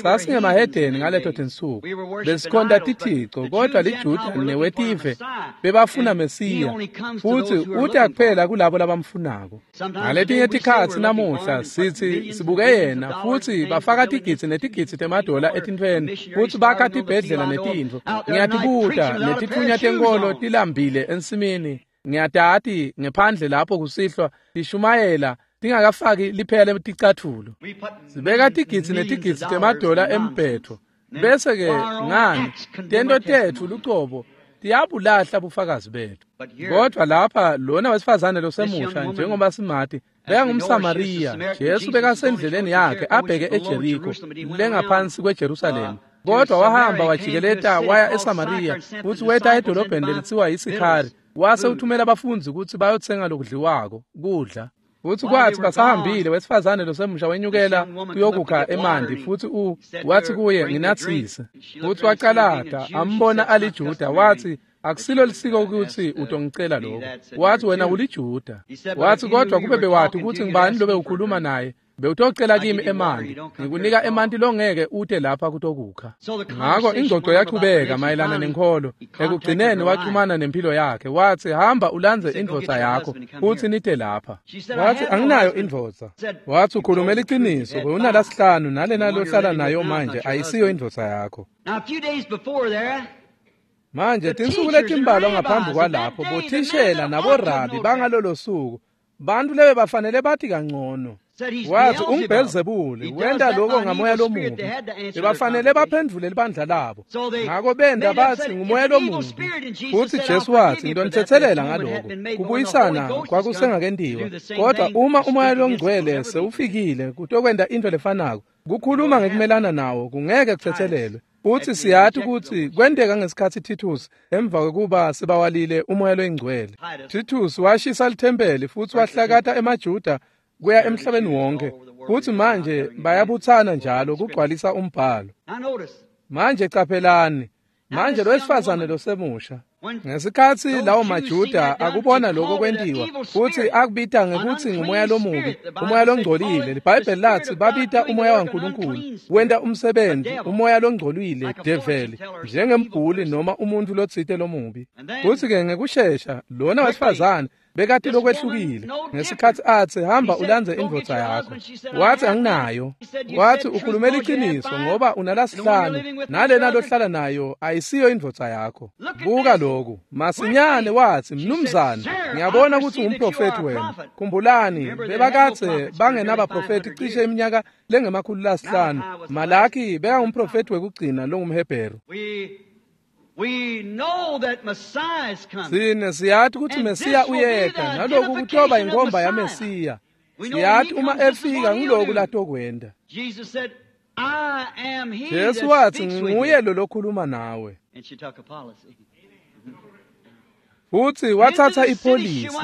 Speaker 2: sasingemahedeni ngaleto tinsuku. Besikhonta tithico, kodwa liJuda newetive bebafuna Mesiya, futsi uta kuphela kulabo labamfunako. Ngaletinye tikhatsi namuhla sithi sibuke yena, futsi bafaka tigidzi netigidzi temadola etintfweni, futsi bakha tibhedlela netintfo. Ngiyatibuta, netitfunya tenkolo tilambile ensimini. Ngiyatati ngephandle lapho kusihlwa tishumayela tingakafaki liphela leticatfulo. Sibeka tigidzi netigidzi temadola embhetho. Bese ke ngani tento tetfu lucobo tiyabulahla bufakazi bethu. Kodwa lapha lona wesifazane losemusha njengoba simati bekangumSamariya. Jesu bekasendleleni yakhe abheke eJeriko lengaphansi kweJerusalema. Kodwa wahamba wajikeleta waya eSamariya futsi weta edolobheni lelitsiwa yiSikhari. Wase uthumela abafundzi kutsi bayotsenga lokudliwako kudla. Futsi kwathi basahambile, wesifazane losemusha wenyukela kuyokukha emanti, futsi wathi kuye, nginatsise. Futsi wacalata ambona aliJuda, wathi, akusilo lisiko kutsi utongicela lokho. Wathi, wena uliJuda. Wathi, kodwa kube bewati kutsi ngibani lobe ukhuluma naye, bewutocela kimi emanti, ngikunika emanti longeke ute lapha kutokukha. Ngako ingxoxo yachubeka mayelana nenkholo. Ekugcineni waxhumana nempilo yakhe. Wathi, hamba ulandze indvodza yakho futsi nite lapha. Wathi, anginayo indvodza. Wathi, ukhulumela iqiniso, bewunalasihlanu nalena lohlala nayo manje ayisiyo indvodza yakho. Manje tinsuku letimbalwa ngaphambi kwalapho, bothishela naborabi bangalolo suku, bantu lebe bafanele bathi kangcono. Wathi, unguBhelzebule, wenta lokho ngamoya lomubi. Bebafanele baphendvule libandla labo. Ngako benda bathi ngumoya lomubi. Futsi Jesu wathi, ngitonithethelela ngaloko. Kubuyisana kwakusengakentiwa. Kodwa uma umoya longcwele sewufikile kutokwenta into lefanako, kukhuluma ngekumelana nawo kungeke kuthethelelwe. Futsi siyati kutsi kwenteka ngesikhatsi Titus emva kwekuba sebawalile umoya loyingcwele. Titus washisa lithempeli futsi wahlakata emaJuda kuya emhlabeni wonke, futsi manje bayabutsana njalo kugcwalisa umbhalo. Manje caphelani, manje lowesifazane losemusha, ngesikhatsi lawo maJuda akubona lokho kwentiwa, futsi akubita ngekutsi ngumoya lomubi, umoya longcolile. LiBhayibheli lathi babita umoya waNkulunkulu wenta umsebenzi, umoya longcolile, develi, njengembhuli noma umuntu lotsite lomubi. Futsi-ke ngekushesha lona wesifazane bekati lokwehlukile. Ngesikhatsi atsi, hamba ulandze indvodza yakho, wathi, anginayo. Wathi, ukhulumela iqiniso ngoba unalasihlanu nalena lohlala nayo ayisiyo indvodza yakho. Buka lokhu. Masinyane wathi, mnumzane, ngiyabona kutsi ungumprofethi wena. Khumbulani, bebakadze bangenabaprofethi cishe iminyaka lengema-500. Malaki bekangumprofethi wekugcina longumHebheru. Sine siyati kutsi Mesiya uyeta, naloku kutoba inkhomba yaMesiya. Siyati uma efika ngiloku latokwenta. Jesu wathi, nginguye lo lokhuluma nawe. Futsi wathatha ipholisi,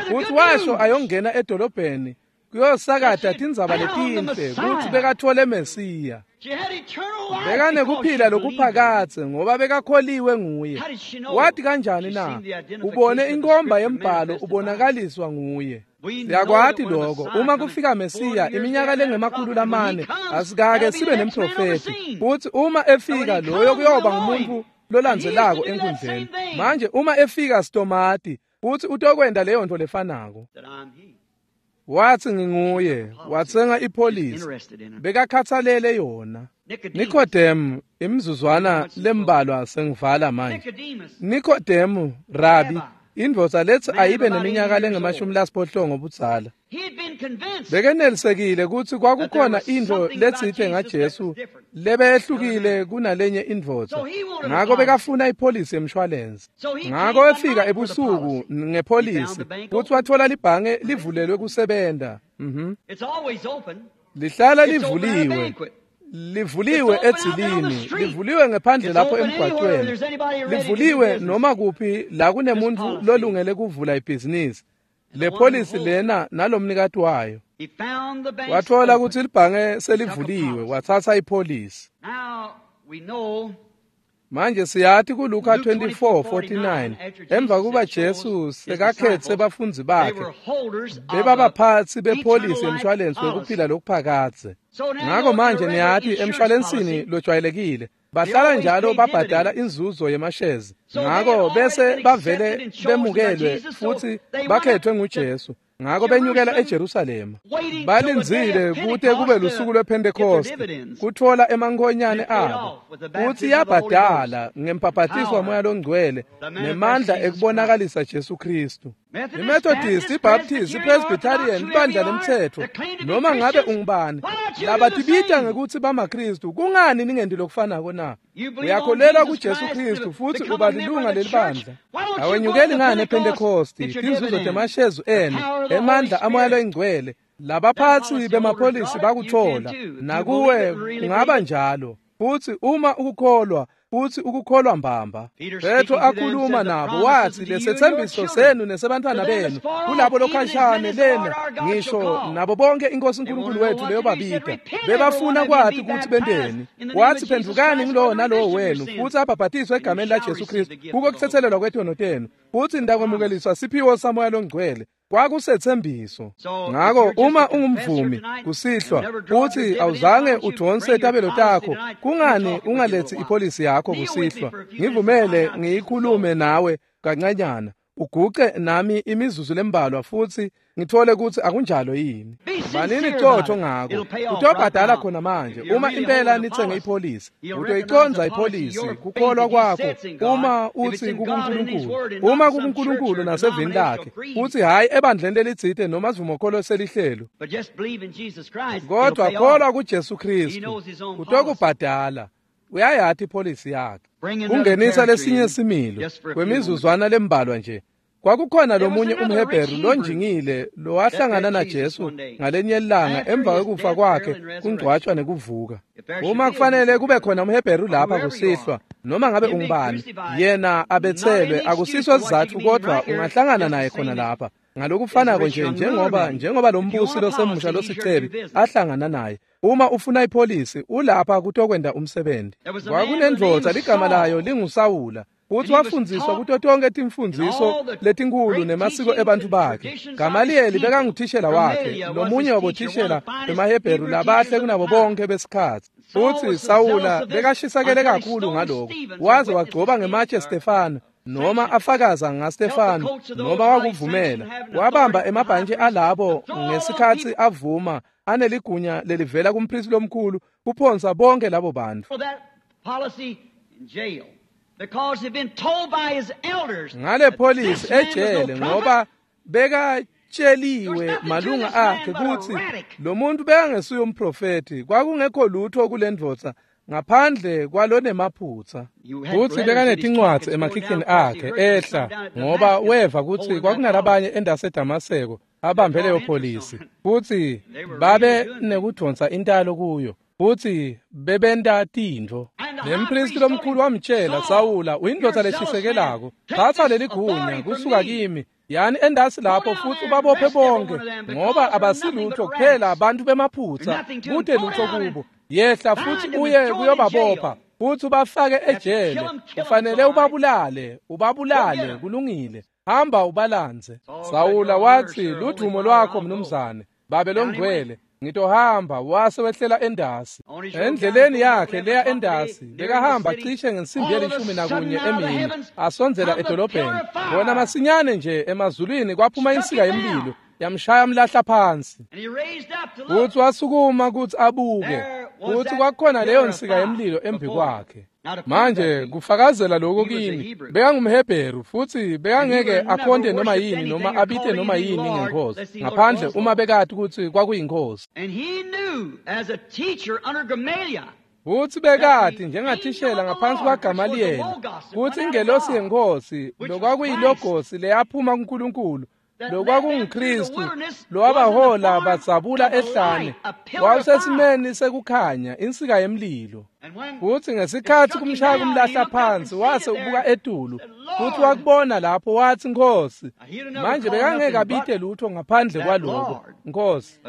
Speaker 2: futsi washo ayongena edolobheni kuyosakata tindzaba letinhle kutsi bekathole Mesiya. Bekanekuphila lokuphakadze ngoba bekakholiwe nguye. Wathi kanjani na? Ubone inkhomba yembhalo ubonakaliswa nguye. Siyakwati lokho. Uma kufika Mesiya iminyaka lengema-400 asikake sibe nemprofeti. Futhi uma efika loyo kuyoba ngumuntu lolandzelako enkundleni. Manje uma efika sitomati futhi utokwenda leyo nto lefanako. Wathi nginguye, watsenga ipolisi, bekakhathalele yona. Nikodemu, imizuzwana lembalwa sengivala manje. Nikodemu, rabi, indvodza lethi ayibe neminyaka lengama-80 obudzala. Bekenelisekile kutsi kwakukhona intfo letsite ngaJesu lebeyehlukile kunalenye indvodza. Ngako bekafuna ipolisi yemshwalense. Ngako efika ebusuku ngepolisi kutsi watfola libhange livulelwe kusebenta. Lihlala livuliwe. Livuliwe edzilini, livuliwe ngephandle lapho emgwaqweni, livuliwe noma kuphi la kunemuntu lolungele kuvula ibhizinisi. Le polisi lena nalomnikati wayo. Wathola kutsi libhange selivuliwe, watsatsa ipolisi. Manje siyati kuLuka 24:49 emva kuba Jesu sekakhetse bafundzi bakhe bebabaphatsi bepolisi yemshwalense wekuphila lokuphakadze. Ngako manje niyati emshwalensini lojwayelekile bahlala njalo babhadala inzuzo yemashezi. Ngako bese bavele bemukelwe futhi bakhethwe nguJesu. Ngako benyukela eJerusalema. Balindzile kute kube lusuku lwePhentekoste kutfola emankonyane abo. Kutsi yabhadala ngempapatiso waMoya loNgcwele nemandla ekubonakalisa Jesu Kristu. IMethodist, iBaptist, iPresbyterian, ibandla lemtsetfo, noma ngabe ungubani, labatibita ngekutsi bamaKristu, kungani ningendi lokufanako na? Uyakholelwa kuJesu Kristu futhi uba lilunga lelibandla. Awenyukeli ngani ePhentekosti, tinzuzo temashezu enu, emandla aMoya loNgcwele, labaphatsi bemapholisi bakutfola, nakuwe kungaba njalo. Futhi uma ukukholwa, futhi ukukholwa mbamba. Petro akhuluma nabo wathi lesethembiso senu nesebantwana benu kulabo lokhashane lena ngisho nabo bonke inkosi uNkulunkulu wethu leyo babita. Bebafuna kwathi kuthi benteni. Wathi phendukani ngilowo nalowo wenu futhi abhabhatiswe egameni laJesu Kristu kuko kuthethelelwa kwetono tenu futhi nitakwemukeliswa siphiwo saMoya loNgcwele. Kwakusethembiso. Ngako uma ungumvumi kusihlwa uthi awuzange udonse tabelo takho, kungani ungalethi ipolisi yakho kusihlwa? Ngivumele ngiyikhulume nawe kancanyana, uguce nami imizuzu lembalwa futhi ngithole ukuthi akunjalo yini. Banini qotho ngako, utobhadala khona manje. Uma impela nitsenge ipolisi, utoyiconza ipolisi kukholwa kwakho. Uma uthi kuNkulunkulu, uma kuNkulunkulu nasevini lakhe, uthi hayi ebandleni lelitsite noma sivumokholo selihlelo, kodwa kholwa kuJesu Kristu, utokubhadala. Uyayati ipolisi yakhe. Kungenisa lesinye similo kwemizuzwana lembalwa nje. Kwakukhona lomunye umHebheru lonjingile lowahlangana naJesu ngalenye ilanga emva kwekufa kwakhe kungcwatshwa nekuvuka. Uma kufanele kube khona umHebheru lapha kusihlwa, noma ngabe ungubani, yena abethelwe akusiso sizatfu, kodwa ungahlangana naye khona lapha. Ngalokufanako nje njengoba lo mbusi losemusha losicebi ahlangana naye. Uma ufuna ipolisi ulapha kutokwenda umsebenzi. Kwakunendvodza ligama layo linguSawula, futhi wafundziswa kuto tonke timfundziso letinkulu nemasiko ebantfu bakhe. Gamaliyeli bekanguthishela wakhe, lomunye wabothishela bemaHebheru labahle kunabo bonke besikhatsi. Futhi Sawula bekashisakele kakhulu ngaloko, waze wagcoba ngematshe Stefano, noma afakaza ngaStefano, noma wakuvumela. Wabamba emabhantshi alabo ngesikhatsi avuma aneligunya lelivela kumpristi lomkhulu kuphonsa bonke labo bantu. Ngale polisi ejele ngoba bekatsheliwe malunga akhe kutsi lo muntu bekangesuye umprofeti, kwakungekho lutho kule ndvodza ngaphandle kwalonemaphutsa. Futsi bekanetincwadzi emakhikhini akhe ehla ngoba weva kutsi kwakunalabanye endaseDamaseko abambe leyo polisi, futsi babe nekudonsa intalo kuyo, futsi bebenta tintfo. Nempristi lomkhulu wamtshela, Sawula, uyindvodza leshisekelako, thatha leligunya kusuka kimi, yani endasi lapho futhi ubabophe bonke ngoba abasilutho kuphela abantu bemaphutsa, kute lutho kubo. Yehla futhi uye kuyobabopha futhi ubafake ejele, ufanele ubabulale, ubabulale, kulungile. Hamba ubalandze. Sawula watsi, ludvumo lwakho mnumzane, babe longcwele, ngitohamba. Wase wehlela endasi. Endleleni yakhe leya endasi, bekahamba cishe ngensimbi ye-11 emini, asondzela edolobheni. Bona masinyane nje emazulwini kwaphuma insika yemlilo, yamshaya mlahla phansi. Futhi wasukuma kutsi abuke, futhi kwakukhona leyo nsika yemlilo embi kwakhe. Manje kufakazela lokho kimi, bekangumHebheru futhi bekangeke akhonte noma yini noma abite noma yini ngenkosi ngaphandle uma bekati kutsi kwakuyinkosi. Futhi bekati njengathishela ngaphansi kwaGamaliyeli kutsi ingelosi yenkosi lokwakuyilogosi leyaphuma kuNkulunkulu, lokwakunguKristu lowabahola badzabula ehlane, wawusesimeni sekukhanya, insika yemlilo. Futhi ngesikhatsi kumshaya kumlahla phansi, wase ubuka etulu futhi wakubona lapho, wathi, Nkosi. Manje bekangeke abite lutho ngaphandle kwaloko, Nkosi.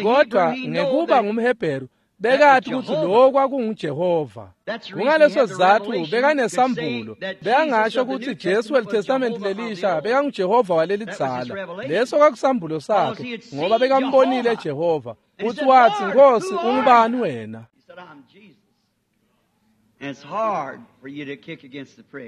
Speaker 2: Kodwa ngekuba ngumHebheru, bekati kutsi lokho kwakunguJehova. Kungaleso sizatfu bekanesambulo, bekangasho kutsi Jesu weliTestamenti lelisha bekanguJehova walelidzala. Leso kwakusambulo sakhe, ngoba bekambonile Jehova. Futhi wathi, Nkosi, ungubani wena?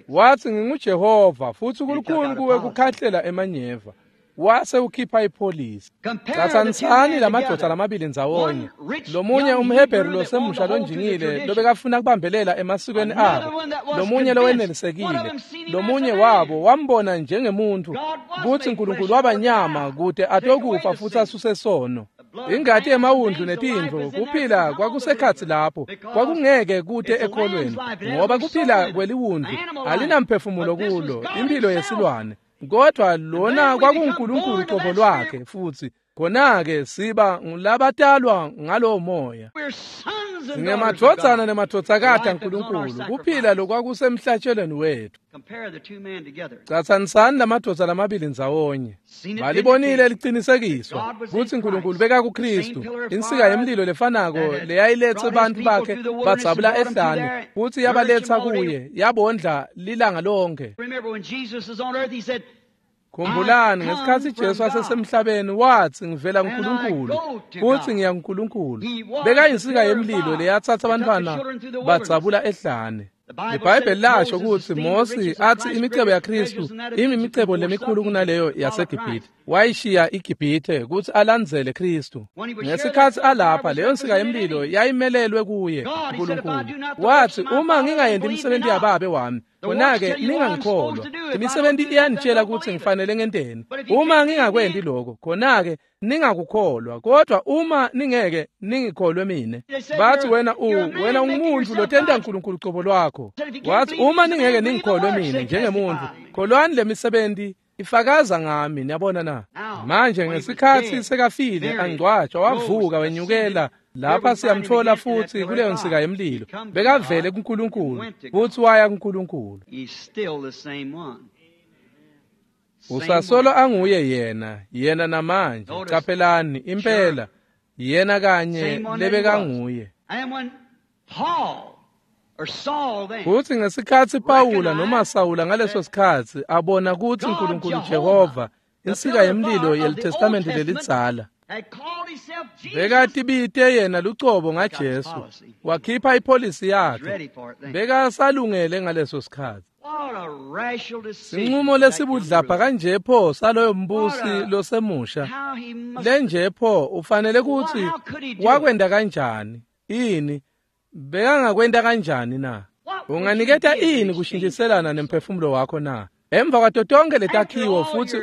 Speaker 2: Wathi, nginguJehova, futhi kulukhuni kuwe kukhahlela emanyeva. Wase ukhipha ipholisi. Catsanisani lamadvodza lamabili ndzawonye. Lomunye umHebheru losemusha lonjingile lobekafuna kubambelela emasikweni abo, lomunye lowenelisekile. Lomunye wabo wambona njengemuntfu kutsi Nkulunkulu wabanyama kute atokufa futhi asuse sono. Ingati yemawundlu netintfo kuphila kwakusekhatsi lapho, kwakungeke kute ekholweni, ngoba kuphila kweliwundlu alinamphefumulo kulo, impilo yesilwane. Kodwa lona kwakunguNkulunkulu qobo lwakhe, futhi khona-ke siba ngulabatalwa ngalowo moya. Singemadvodzana nemadvodzakati aNkulunkulu, kuphila lokwakusemhlatshelweni wethu. Catsanisani lamadvodza lamabili ndzawonye. Balibonile licinisekiswa kutsi Nkulunkulu bekakuKristu, insika yemlilo lefanako leyayiletse bantfu bakhe badzabula ehlane, futsi yabaletsa kuye, yabondla lilanga lonke. Khumbulani ngesikhatsi Jesu asesemhlabeni wathi, ngivela kuNkulunkulu futhi ngiya kuNkulunkulu. Bekayinsika yemlilo leyatsatsa abantwana badzabula ehlane. IBhayibheli lasho kutsi Mosi athi imicebo yaKristu imimicebo lemikhulu kunaleyo yaseGibhithe. Wayishiya iGibhithe kutsi alandzele Kristu. Ngesikhatsi alapha, leyo nsika yemlilo yayimelelwe kuye uNkulunkulu. Wathi, uma ngingayenti imisebenti yababe wami, khona-ke ningangikholwa. Imisebenti iyanitshela kutsi ngifanele ngenteni. Uma ngingakwenti lokho, khona-ke ningakukholwa. Kodwa uma ningeke ningikholwe mine. Bathi, wena wena ungumuntu lotenta uNkulunkulu cobo lwakho. Wathi, uma ningeke ningikholwe mine njengemuntu, kholwani lemisebenti ifakaza ngami. Niyabona na? Manje ngesikhatsi sekafile, angcwatshwa, wavuka wenyukela lapha siyamthola futhi kuleyo nsika yemlilo. Bekavele kuNkulunkulu futhi waya kuNkulunkulu. Usasolo anguye yena, yena namanje. Qaphelani impela, yena kanye lebekanguye. Futhi ngesikhatsi Pawula noma Sawula ngaleso sikhatsi abona kutsi uNkulunkulu Jehova, insika yemlilo yeliTestamenti lelidzala, bekatibite yena lucobo ngaJesu, wakhipha ipholisi yakhe, bekasalungele ngaleso sikhatsi. Sinqumo lesibudlapha kanje pho saloyo mbusi losemusha lenje pho, ufanele kutsi wakwenta kanjani? Ini bekangakwenta kanjani na? Unganiketa ini kushintshiselana nemphefumulo wakho na? Emva kwato tonke letakhiwo futhi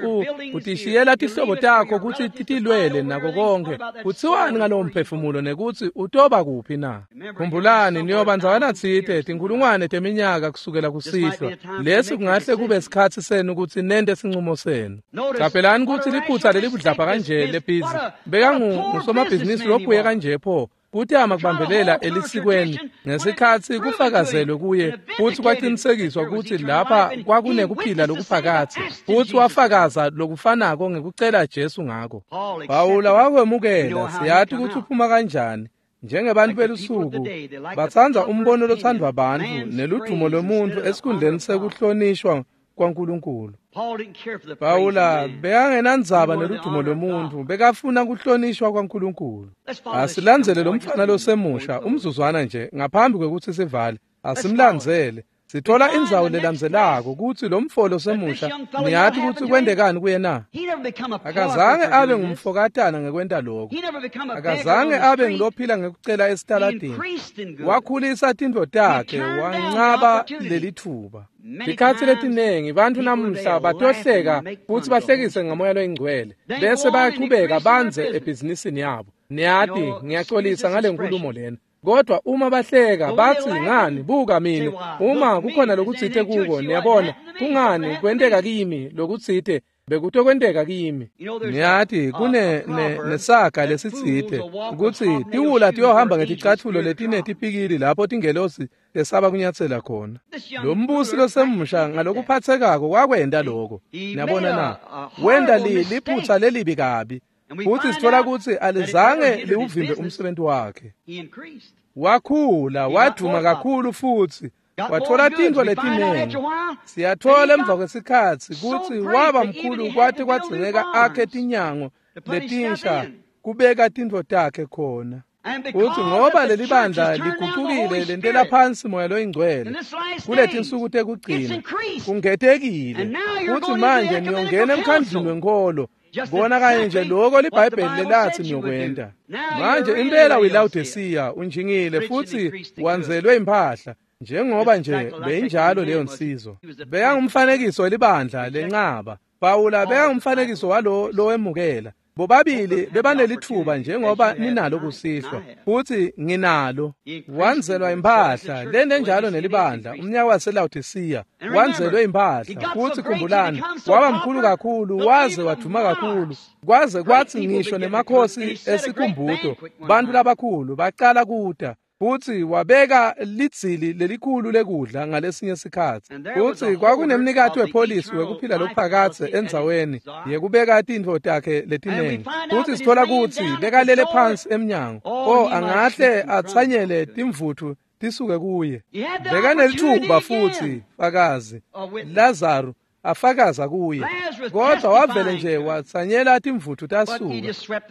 Speaker 2: utishiyela tihlobo takho kutsi titilwele nako konke, kutsiwani ngalowo mphefumulo nekutsi utoba kuphi na? Khumbulani, niyoba ndzawana tsite tinkhulungwane teminyaka kusukela kusihlwa. Lesi kungahle kube sikhatsi senu kutsi nente sincumo senu. Qaphelani kutsi liphutsa lelibudlapha kanje lebhizi, bekangusomabhizinisi lophuye kanje pho, kutama kubambelela elisikweni ngesikhatsi kufakazelwe kuye futhi kwaqinisekiswa kutsi lapha kwakunekuphila lokuphakatsi, futhi wafakaza lokufanako ngekucela Jesu ngako. Pawula wakwemukela. Siyati kutsi uphuma kanjani. Njengebantu belusuku batsandza umbono lothandwa bantfu neludumo lwemuntfu esikhundleni sekuhlonishwa kwaNkulunkulu. Pawula bekangenandzaba neludumo lwemuntfu, bekafuna kuhlonishwa kwaNkulunkulu. Asilandzele lo mfana losemusha umzuzwana nje ngaphambi kwekutsi sivale. Asimlandzele. Sithola indzawo lelandzelako kutsi lo mfo losemusha niyati kutsi kwentekani kuye na? Akazange abe ngumfokatana ngekwenta lokho. Akazange abe ngulophila ngekucela esitaladini. Wakhulisa tintfo takhe, wancaba lelitfuba. Tikhatsi letinengi bantfu namuhla batohleka futsi bahlekise ngamoya loyingcwele, bese bayachubeka bandze ebhizinisini yabo. Niyati, ngiyacolisa ngale nkulumo lena. Kodwa uma bahleka bathi ngani, buka mina, uma kukhona lokutsite kuko, niyabona, kungani kwenteka kimi lokutsite bekutokwenteka kimi. Niyati kune nesaga lesitsite kutsi tiwula tiyohamba ngeticatfulo letinetipikili lapho tingelosi lesaba kunyatsela khona. Lo mbusi losemusha ngalokuphatsekako wakwenta lokho. Niyabona na? Wenta liphutsa lelibi kabi. Futsi sithola kutsi alizange liwuvimbe umsebenzi wakhe. Wakhula, wadvuma kakhulu futsi wathola tintfo letinengi. Siyathola emva kwesikhatsi kutsi waba mkhulu kwate kwadzingeka akhe tinyango letinsha kubeka tintfo takhe khona. Futsi ngoba leli bandla ligucukile lentela phansi moya loyingcwele kuletinsuku tekugcina kungetekile. Futsi manje niyongena emkhandlwini wenkholo. Bona kanye nje lokho liBhayibheli lelatsi niyokwenta. Manje impela uyiLawodisiya, unjingile futsi wanzelwe imphahla, njengoba nje beyinjalo leyo nsizwa. Bekangumfanekiso welibandla lencaba. Pawula bekangumfanekiso walo lowemukela. Bobabili bebanelitfuba njengoba ninalo kusihlwa, futsi nginalo. Wanzelwa imphahla lenenjalo nelibandla umnyaka waseLawodisiya, wanzelwe imphahla. Futsi khumbulani, waba mkhulu kakhulu waze wadvuma kakhulu, kwaze kwatsi ngisho nemakhosi esikhumbuto, bantfu labakhulu bacala kuta. Futsi wabeka lidzili lelikhulu lekudla ngalesinye sikhatsi. Futsi kwakunemnikati wepholisi wekuphila lokuphakadze endzaweni yekubeka tintfo takhe letinengi. Futsi sithola kutsi bekalele phansi emnyango. O, angahle atsanyele timvutfu tisuke kuye. Bekanelitfuba futsi fakazi Lazaro afakaza kuye, kodwa wavele nje watsanyela timvutfu tasuka.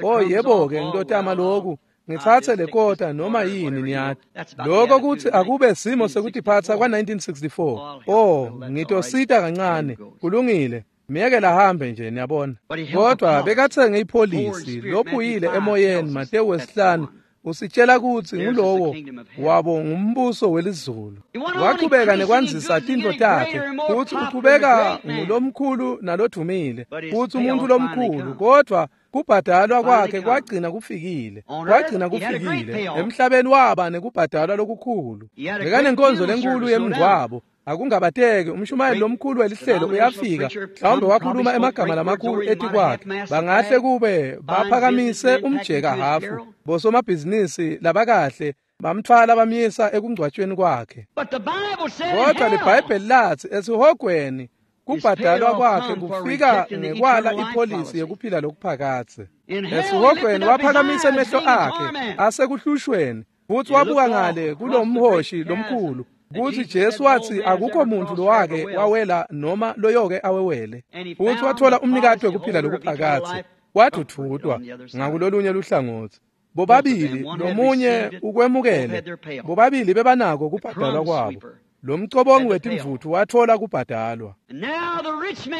Speaker 2: O yebo-ke, ngitotama loku, ngitsatse lekota noma yini, niyati. Lokho kutsi akube simo sekutiphatsa kwa-1964. Oh, ngitosita kancane. Kulungile, miyekela hambe nje, niyabona. Kodwa bekatsenge ipholisi lophuyile emoyeni. Matewu 5 usitshela kutsi ngulowo wabo ngumbuso welizulu. Wachubeka nekwandzisa tintfo takhe, futsi uchubeka ngulomkhulu nalodvumile, futsi umuntu lomkhulu, kodwa kubhadalwa kwakhe kwagcina kufikile. Kwagcina kufikile. Emhlabeni waba nekubhadalwa lokukhulu. Bekanenkonzo lenkulu yemngcwabo. Akungabateki, umshumayeli lomkhulu welihlelo uyafika, mhlawumbe wakhuluma emagama lamakhulu etikwakhe. Bangahle kube baphakamise umjeka hafu, bosomabhizinisi labakahle bamthwala bamyisa ekungcwatshweni kwakhe. Kodwa liBhayibheli latsi esihogweni kubhadalwa kwakhe kufika ngekwala ipholisi yekuphila lokuphakadze. Esihogweni waphakamisa emehlo akhe asekuhlushweni, futsi wabuka ngale kulomhoshi lomkhulu, kutsi Jesu watsi akukho muntfu lowake wawela noma loyoke awewele. Futsi wathola umnikati wekuphila lokuphakadze, wadvudvutwa ngakulolunye luhlangotsi. Bobabili lomunye ukwemukele, bobabili bebanako kubhadalwa kwabo. Lo mcobongi wetimvutfu wathola kubhadalwa.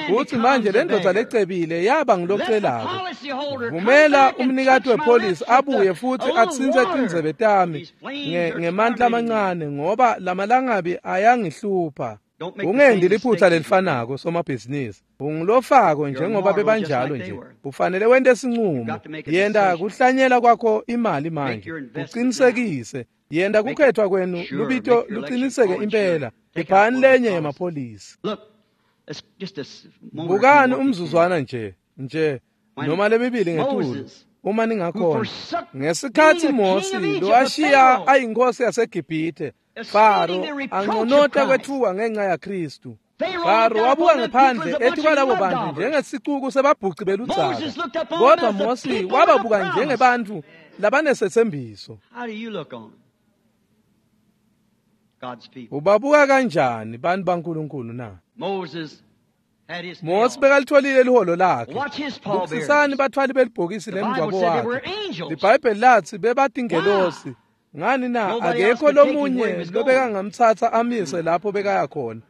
Speaker 2: Futsi manje lendvodza lecebile yaba ngulocelako. Vumela umnikati wepholisi abuye futsi atsintse tindzebe tami ngemandla amancane, ngoba lamalangabi ayangihlupha. Ungendi liphutsa lelifanako somabhizinisi. Ungulofako njengoba bebanjalo nje. Ufanele wente sincumo. Yenta kuhlanyela kwakho imali manje. Uqinisekise. Yenta kukhethwa kwenu lubito luqiniseke impela. Iphani lenye yemapholisi. Bukani umzuzwana nje noma lemibili ngetulu uma ningakhona. Ngesikhatsi Mosi lowashiya ayinkosi yaseGibhithe, Faro anconota kwetfuka ngenxa yaKristu. Faro wabuka ngephandle ethi kwalabo bantu njengesicuku sebabhuci beludzaka, kodwa Mosi wababuka njengebantfu labanesethembiso. Ubabuka kanjani bantu baNkulunkulu na? Mosi bekalitholile liholo lakhe. Bukisisani batfwali belibhokisi lemngcwabo wakhe. LiBhayibheli latsi bebatingelosi. Ngani na akekho lomunye lobekangamtsatsa amise lapho bekaya khona.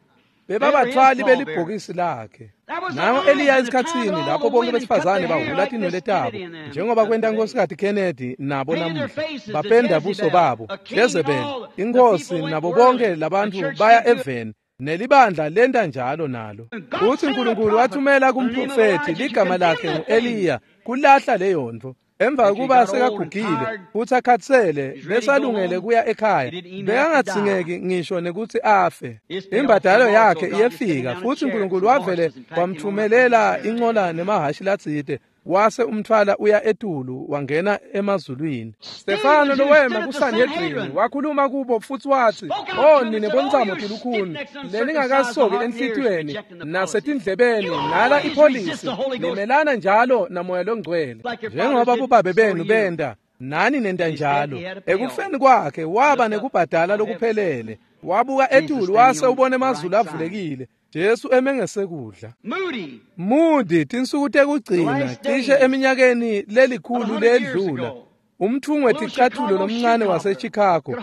Speaker 2: Bebabatfwali belibhokisi lakhe. Nango Eliya esikhatsini lapho bonke besifazane bahhula tinwele tabo njengoba kwenta Nkosikazi Kennedy nabo namuhla bapenda buso babo. Jezebel inkosi nabo bonke labantu baya eveni nelibandla lenta njalo nalo. Uthi uNkulunkulu wathumela kumprofethi ligama lakhe ngu-Eliya kulahla leyo nto. Emva kuba sekagugile futhi akhatsele besalungele kuya ekhaya bekangatsingeki ngisho nekuthi afe. Imbadalo yakhe iyefika futhi uNkulunkulu wavele wamthumelela incola nemahashi latsite wase umthwala uya etulu wangena emazulwini. Stefano lowema kuSanhedrin wakhuluma kubo futhi wathi, "Oh nine bontsamo tilukhuni leningakasoki enhlitiyweni nasetindlebeni nala ipolisi nimelana njalo namoya longcwele njengoba bobabe benu benda nani nenta njalo." Ekufeni kwakhe waba nekubhadala lokuphelele. Wabuka etulu wase ubona emazulu avulekile. Jesu emengesekudla. Moody tinsuku tekugcina cishe eminyakeni lelikhulu ledlula umthungo weticathulo lomncane waseChicago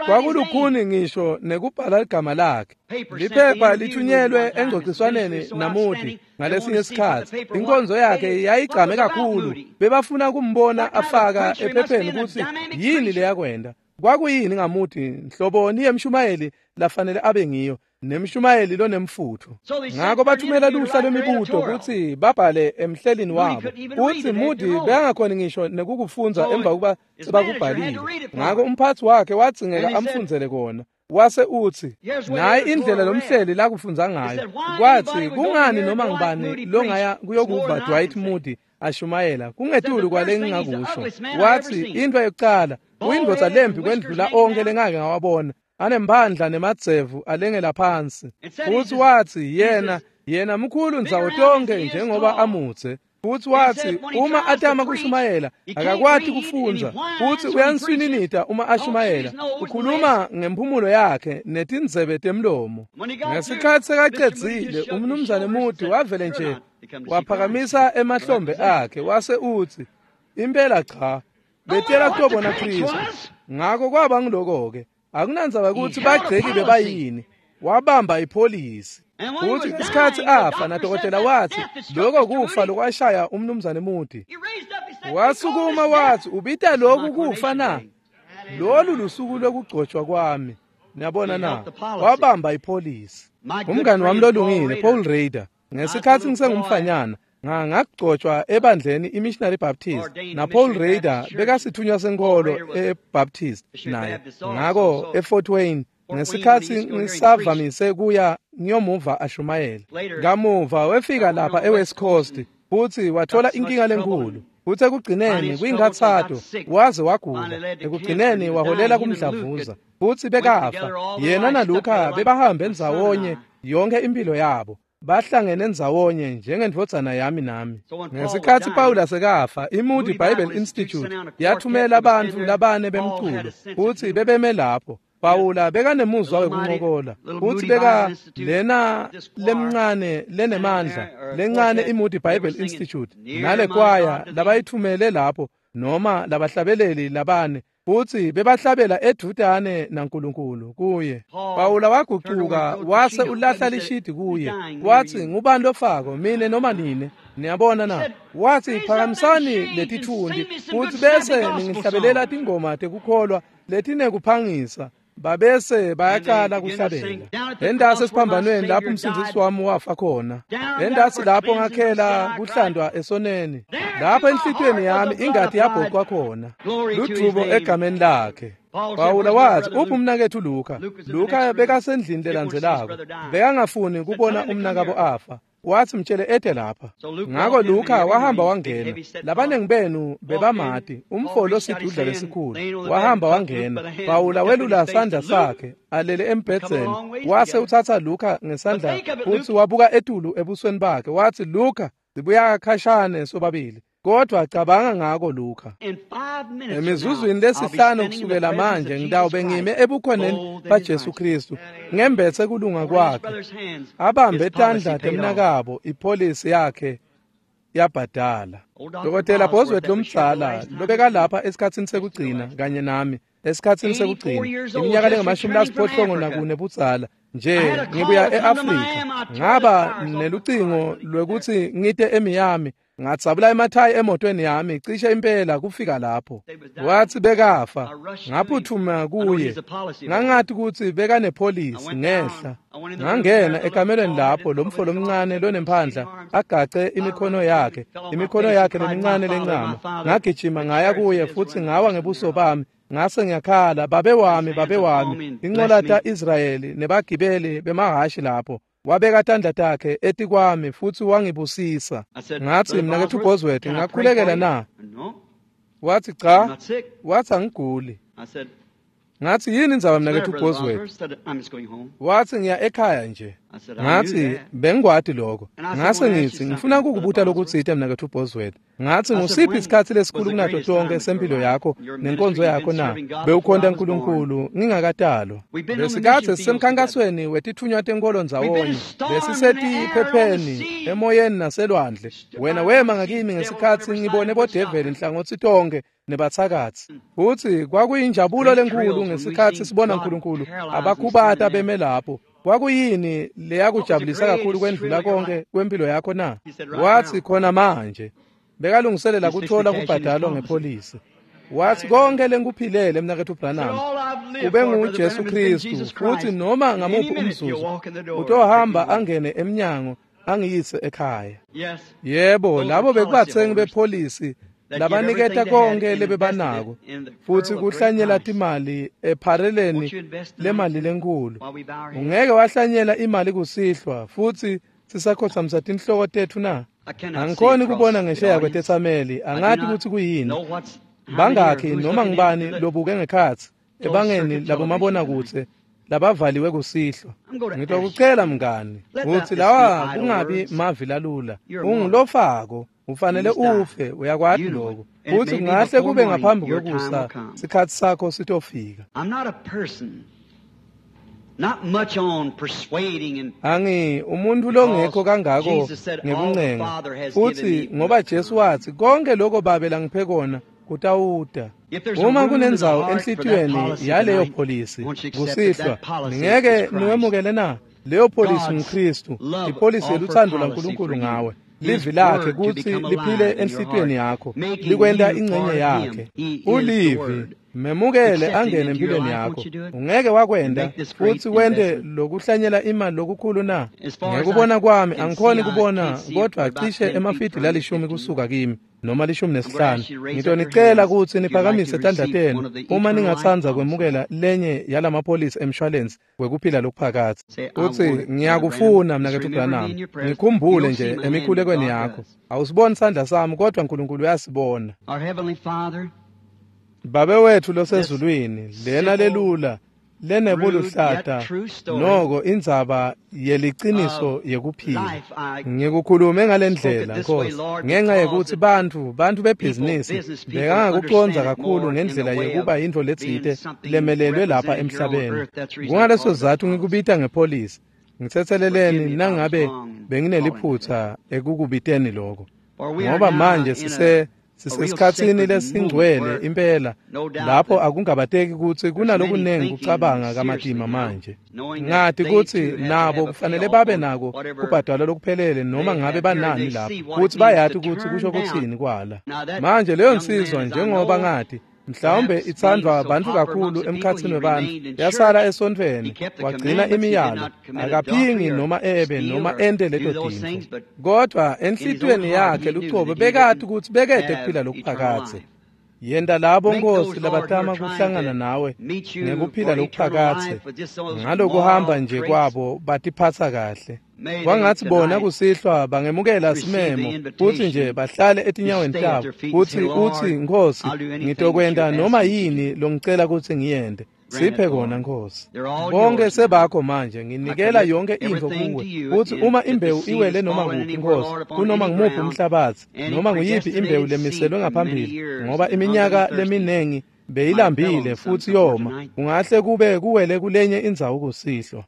Speaker 2: kwakulukhuni ngisho nekubhala igama lakhe. Liphepha lithunyelwe engcociswaneni naMoody ngalesinye isikhathi. Inkonzo yakhe yayigcame kakhulu bebafuna kumbona afaka ephepheni ukuthi yini leyakwenda. Kwakuyini ngaMoody nhloboni yemshumayeli lafanele abe ngiyo nemshumayeli lonemfutho. Ngakho bathumela luhla lwemibuto kutsi babhale emhlelini wabo. Uthi Moody bekangakhoni ngisho nekukufunza emva kuba sebakubhalile. Ngakho umphathi wakhe wadzingeka amfundzele kona. Wase utsi nayi indlela lomhleli lakufunza ngayo. Kwathi kungani noma ngibani longaya kuyokuva Dwight Moody ashumayela kungetulu kwale ngingakusho. Wathi into yokucala uyindvodza lembi kwendlula onke lengake ngawabona anemphandla nemadzevu alengela phansi. Futhi wathi yena mkhulu ndzawo tonke njengoba amutse. Futhi wathi uma atama kushumayela akakwati kufundza futhi uyanswininita uma ashumayela ukhuluma ngemphumulo yakhe netindzebe temlomo. Ngesikhathi sekacedzile umnumzane Moody wavele nje waphakamisa emahlombe akhe wase utsi impela cha betela kutobona Kristu. Ngakho kwaba ngiloko-ke akunandzaba ukuthi bagceki bebayini. Wabamba ipholisi. Futhi ngesikhathi afa nadokotela wathi lokho kufa lokwashaya umnumzane Moody. Wasukuma wathi ubita lokhu kufa na? Lolu lusuku lokugcotshwa kwami. Niyabona na? Wabamba ipholisi. Umngani wami lolungile Paul Rader ngesikhathi ngisengumfanyana ngagcotshwa ebandleni iMissionary Baptist na Paul Rader bekasithunywa senkolo eBaptist naye. Ngakho eFort Wayne ngesikhathi ngisavamise kuya ngiyomuva ashumayela. Kamuva wefika lapha eWest Coast futhi wathola inkinga lenkulu. Futhi ekugcineni kwinkathato waze wagula. Ekugcineni waholela kumdlavuza futhi bekafa. Yena naLuka bebahambe ndzawonye yonke impilo yabo. Bahlangene ndzawonye njengendvodzana yami nami. Ngesikhathi Paula sekafa, iMoody Bible Institute yathumela abantu labane bemculo futhi bebeme lapho. Paula bekanemuzwa wekuncokola futhi beka lena lemncane lenemandla lencane iMoody Bible Institute nale kwaya labayithumele lapho noma labahlabeleli labane futhi bebahlabela edvutane naNkulunkulu kuye. Paula wagucuka wase ulahla lishidi kuye wathi ngubani lofako mine noma nine? Niyabona na? Wathi phakamisani letithundi futhi bese ningihlabelela tingoma tekukholwa letinekuphangisa. Babese bayaqala kuhlabela. Endasi esiphambanweni lapho umsindzisi wami wafa khona. Endasi lapho ngakhela kuhlandwa esoneni. Lapho enhlitiyweni yami ingati yabhoqwa khona. Ludvumo egameni lakhe. Pawula wathi uphi umnakethu Luka? Luka bekasendlini lelandzelako. Bekangafuni kubona umnakabo afa. Wathi mtshele ede lapha. Ngakho Luka wahamba wangena. Labanengi benu bebamati umfolo osidudla lesikhulu. Wahamba wangena. Pawula welula sandla sakhe alele embhedzeni. Wase uthatha Luka ngesandla futhi wabuka etulu ebusweni bakhe. Wathi Luka sibuya khashane sobabili. Kodwa cabanga ngako Luka. Emizuzwini lesihlanu kusukela manje ngitawube ngime ebukhoneni baJesu Kristu ngembethe kulunga kwakhe, abambe tandla temnakabo, ipholisi yakhe yabhadala. Dokotela Bosworth lomdzala lobeka lapha esikhatsini sekugcina kanye nami esikhatsini sekugcina, iminyaka lengamashumi-84 budzala nje, ngibuya e-Afrika, ngaba nelucingo lwekutsi ngite eMiami, ngadzabula emathayi emotweni yami cishe impela kufika lapho. Wathi bekafa, ngaphuthuma kuye, ngangati kutsi bekanepholisi ngehla. Ngangena ekamelweni lapho lo mfo lomncane lonemphandla agace imikhono yakhe lemincane lencama. Ngagijima ngaya kuye futhi ngawa ngebuso bami, ngase ngiyakhala, babe wami, babe wami, incola ta-Israyeli nebagibeli bemahhashi lapho. Wabeka tandla takhe etikwami futhi wangibusisa. Ngathi, mnaketfu Bosworth, ngakhulekela na? Wathi cha. Wathi angiguli. Ngathi, yini indzaba mnaketfu Bosworth? Wathi ngiya ekhaya nje. Ngathi bengikwati lokho. Ngase ngithi ngifuna ukukubuta lokutsite mnaketfu Bosworth. Ngathi ngusiphi isikhatsi lesikhulu kunato tonke sempilo yakho nenkonzo yakho na? Bewukhonta uNkulunkulu ngingakatalwa. Besikatse sisemkhankasweni wetitfunywa tenkolo ndzawonye. Besisetiphepheni emoyeni naselwandle. Wena wema ngakimi ngesikhatsi ngibone bodeveli nhlangothi tonke nebathakathi. Futhi kwakuyinjabulo lenkulu ngesikhatsi sibona uNkulunkulu abakhubata beme lapho. Kwakuyini leyakujabulisa kakhulu kwendlula konke kwempilo yakho na? Wathi khona manje. Bekalungiselela kuthola kubhadalwa ngepholisi. Wathi konke lengikuphilele mnaketfu Branham ube nguJesu Kristu, futhi noma ngamuphi umzuzu utohamba angene emnyango angiyise ekhaya. Yebo, labo bekubathengi bepholisi labaniketa konke lebebanako futhi kuhlanyela timali ephareleni lemali lenkulu. Ungeke wahlanyela imali kusihlwa futhi sisakhothamisa tinhloko tetfu na? Angikhoni kubona ngesheya kwetetsameli, angati kutsi kuyini. Bangakhi noma ngibani lobuke ngekhatsi ebangeni labomabonakudze labavaliwe kusihlwa. Ngitokucela mngani kutsi lawa kungabi mavi lalula. Ungulofako, ufanele ufe, uyakwati lokho. Futhi kungahle kube ngaphambi kwekusa sikhatsi sakho sitofika. Angi umuntu longekho kangako ngekuncenga, futhi ngoba Jesu wathi konke lokho Babe langiphe kona kutawuta. Uma kunendzawo enhlitiyweni yaleyo pholisi kusihlwa, ningeke niwemukele na? Leyo pholisi nguKristu, ipholisi yeluthando lwaNkulunkulu ngawe. Livi lakhe kutsi liphile enhlitiyweni yakho, likwenta ingcenye yakhe. Ulivi, memukele angene empilweni yakho. Ungeke wakwenda futhi wente lokuhlanyela imali lokukhulu na? Ngekubona kwami angikhoni kubona, kodwa cishe emafidi lalishumi kusuka kimi noma 15. Ngitonicela kutsi niphakamise tandla tenu uma ningatsandza kwemukela lenye yalamapholisi emshwalensi wekuphila lokuphakadze. Utsi ngiyakufuna mnaketfu Branham, ngikhumbule nje emikhulekweni yakho. Awusiboni sandla sami, kodwa uNkulunkulu uyasibona. Babe wethu losezulwini, lena lelula lenebuluhlata noko indzaba yeliciniso yekuphila. Ngikukhulume ngalendlela Nkosi ngenxa yekutsi bantfu bebhizinisi bekangakucondza kakhulu ngendlela yekuba yintfo letsite lemelelwe lapha emhlabeni. Kungaleso sizatfu ngikubita ngepholisi. Ngitsetseleleni nangabe bengineliphutsa ekukubiteni lokho, ngoba manje sisesikhatsini lesingcwele impela lapho akungabateki kutsi kunalokunengi kucabanga kamatima manje. Ngati kutsi nabo kufanele babe nako kubhadalwa lokuphelele noma ngabe banani lapho, kutsi bayati kutsi kusho kutsini kwala. Manje leyo nsizwa, njengoba ngati mhlawumbe itsandvwa bantfu kakhulu emkhatsini webantfu, yasala esontfweni, wagcina imiyalo, akaphingi noma ebe noma ente leto tintfo, kodwa enhlitiyweni yakhe lucobo bekati kutsi bekede kuphila lokuphakadze. Yenta labo Nkosi labatama kuhlangana nawe ngekuphila lokuphakadze ngalokuhamba nje kwabo batiphatsa kahle. Kwangatsi bona kusihlwa bangemukela simemo kutsi nje bahlale etinyaweni tabo, kutsi utsi Nkosi, ngitokwenta noma yini longicela kutsi ngiyente. Siphe kona, Nkosi. Bonke sebakho manje, nginikela yonke intfo kuwe. Kutsi uma imbewu iwele noma kuphi, Nkosi, kunoma ngumuphi umhlabatsi, noma nguyiphi imbewu lemiselwe ngaphambili, ngoba iminyaka leminengi beyilambile futhi yoma, kungahle kube kuwele kulenye indzawo kusihlwa.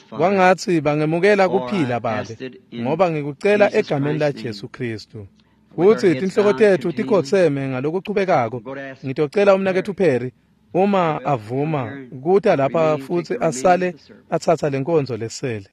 Speaker 2: Kwangatsi bangemukela kuphila, Babe, ngoba ngikucela egameni laJesu Kristu. Kutsi tinhloko tetfu tikhotseme ngalokuchubekako, ngitocela umnaketfu Perry, uma avuma, kuta lapha futsi asale atsatsa lenkonzo lesele.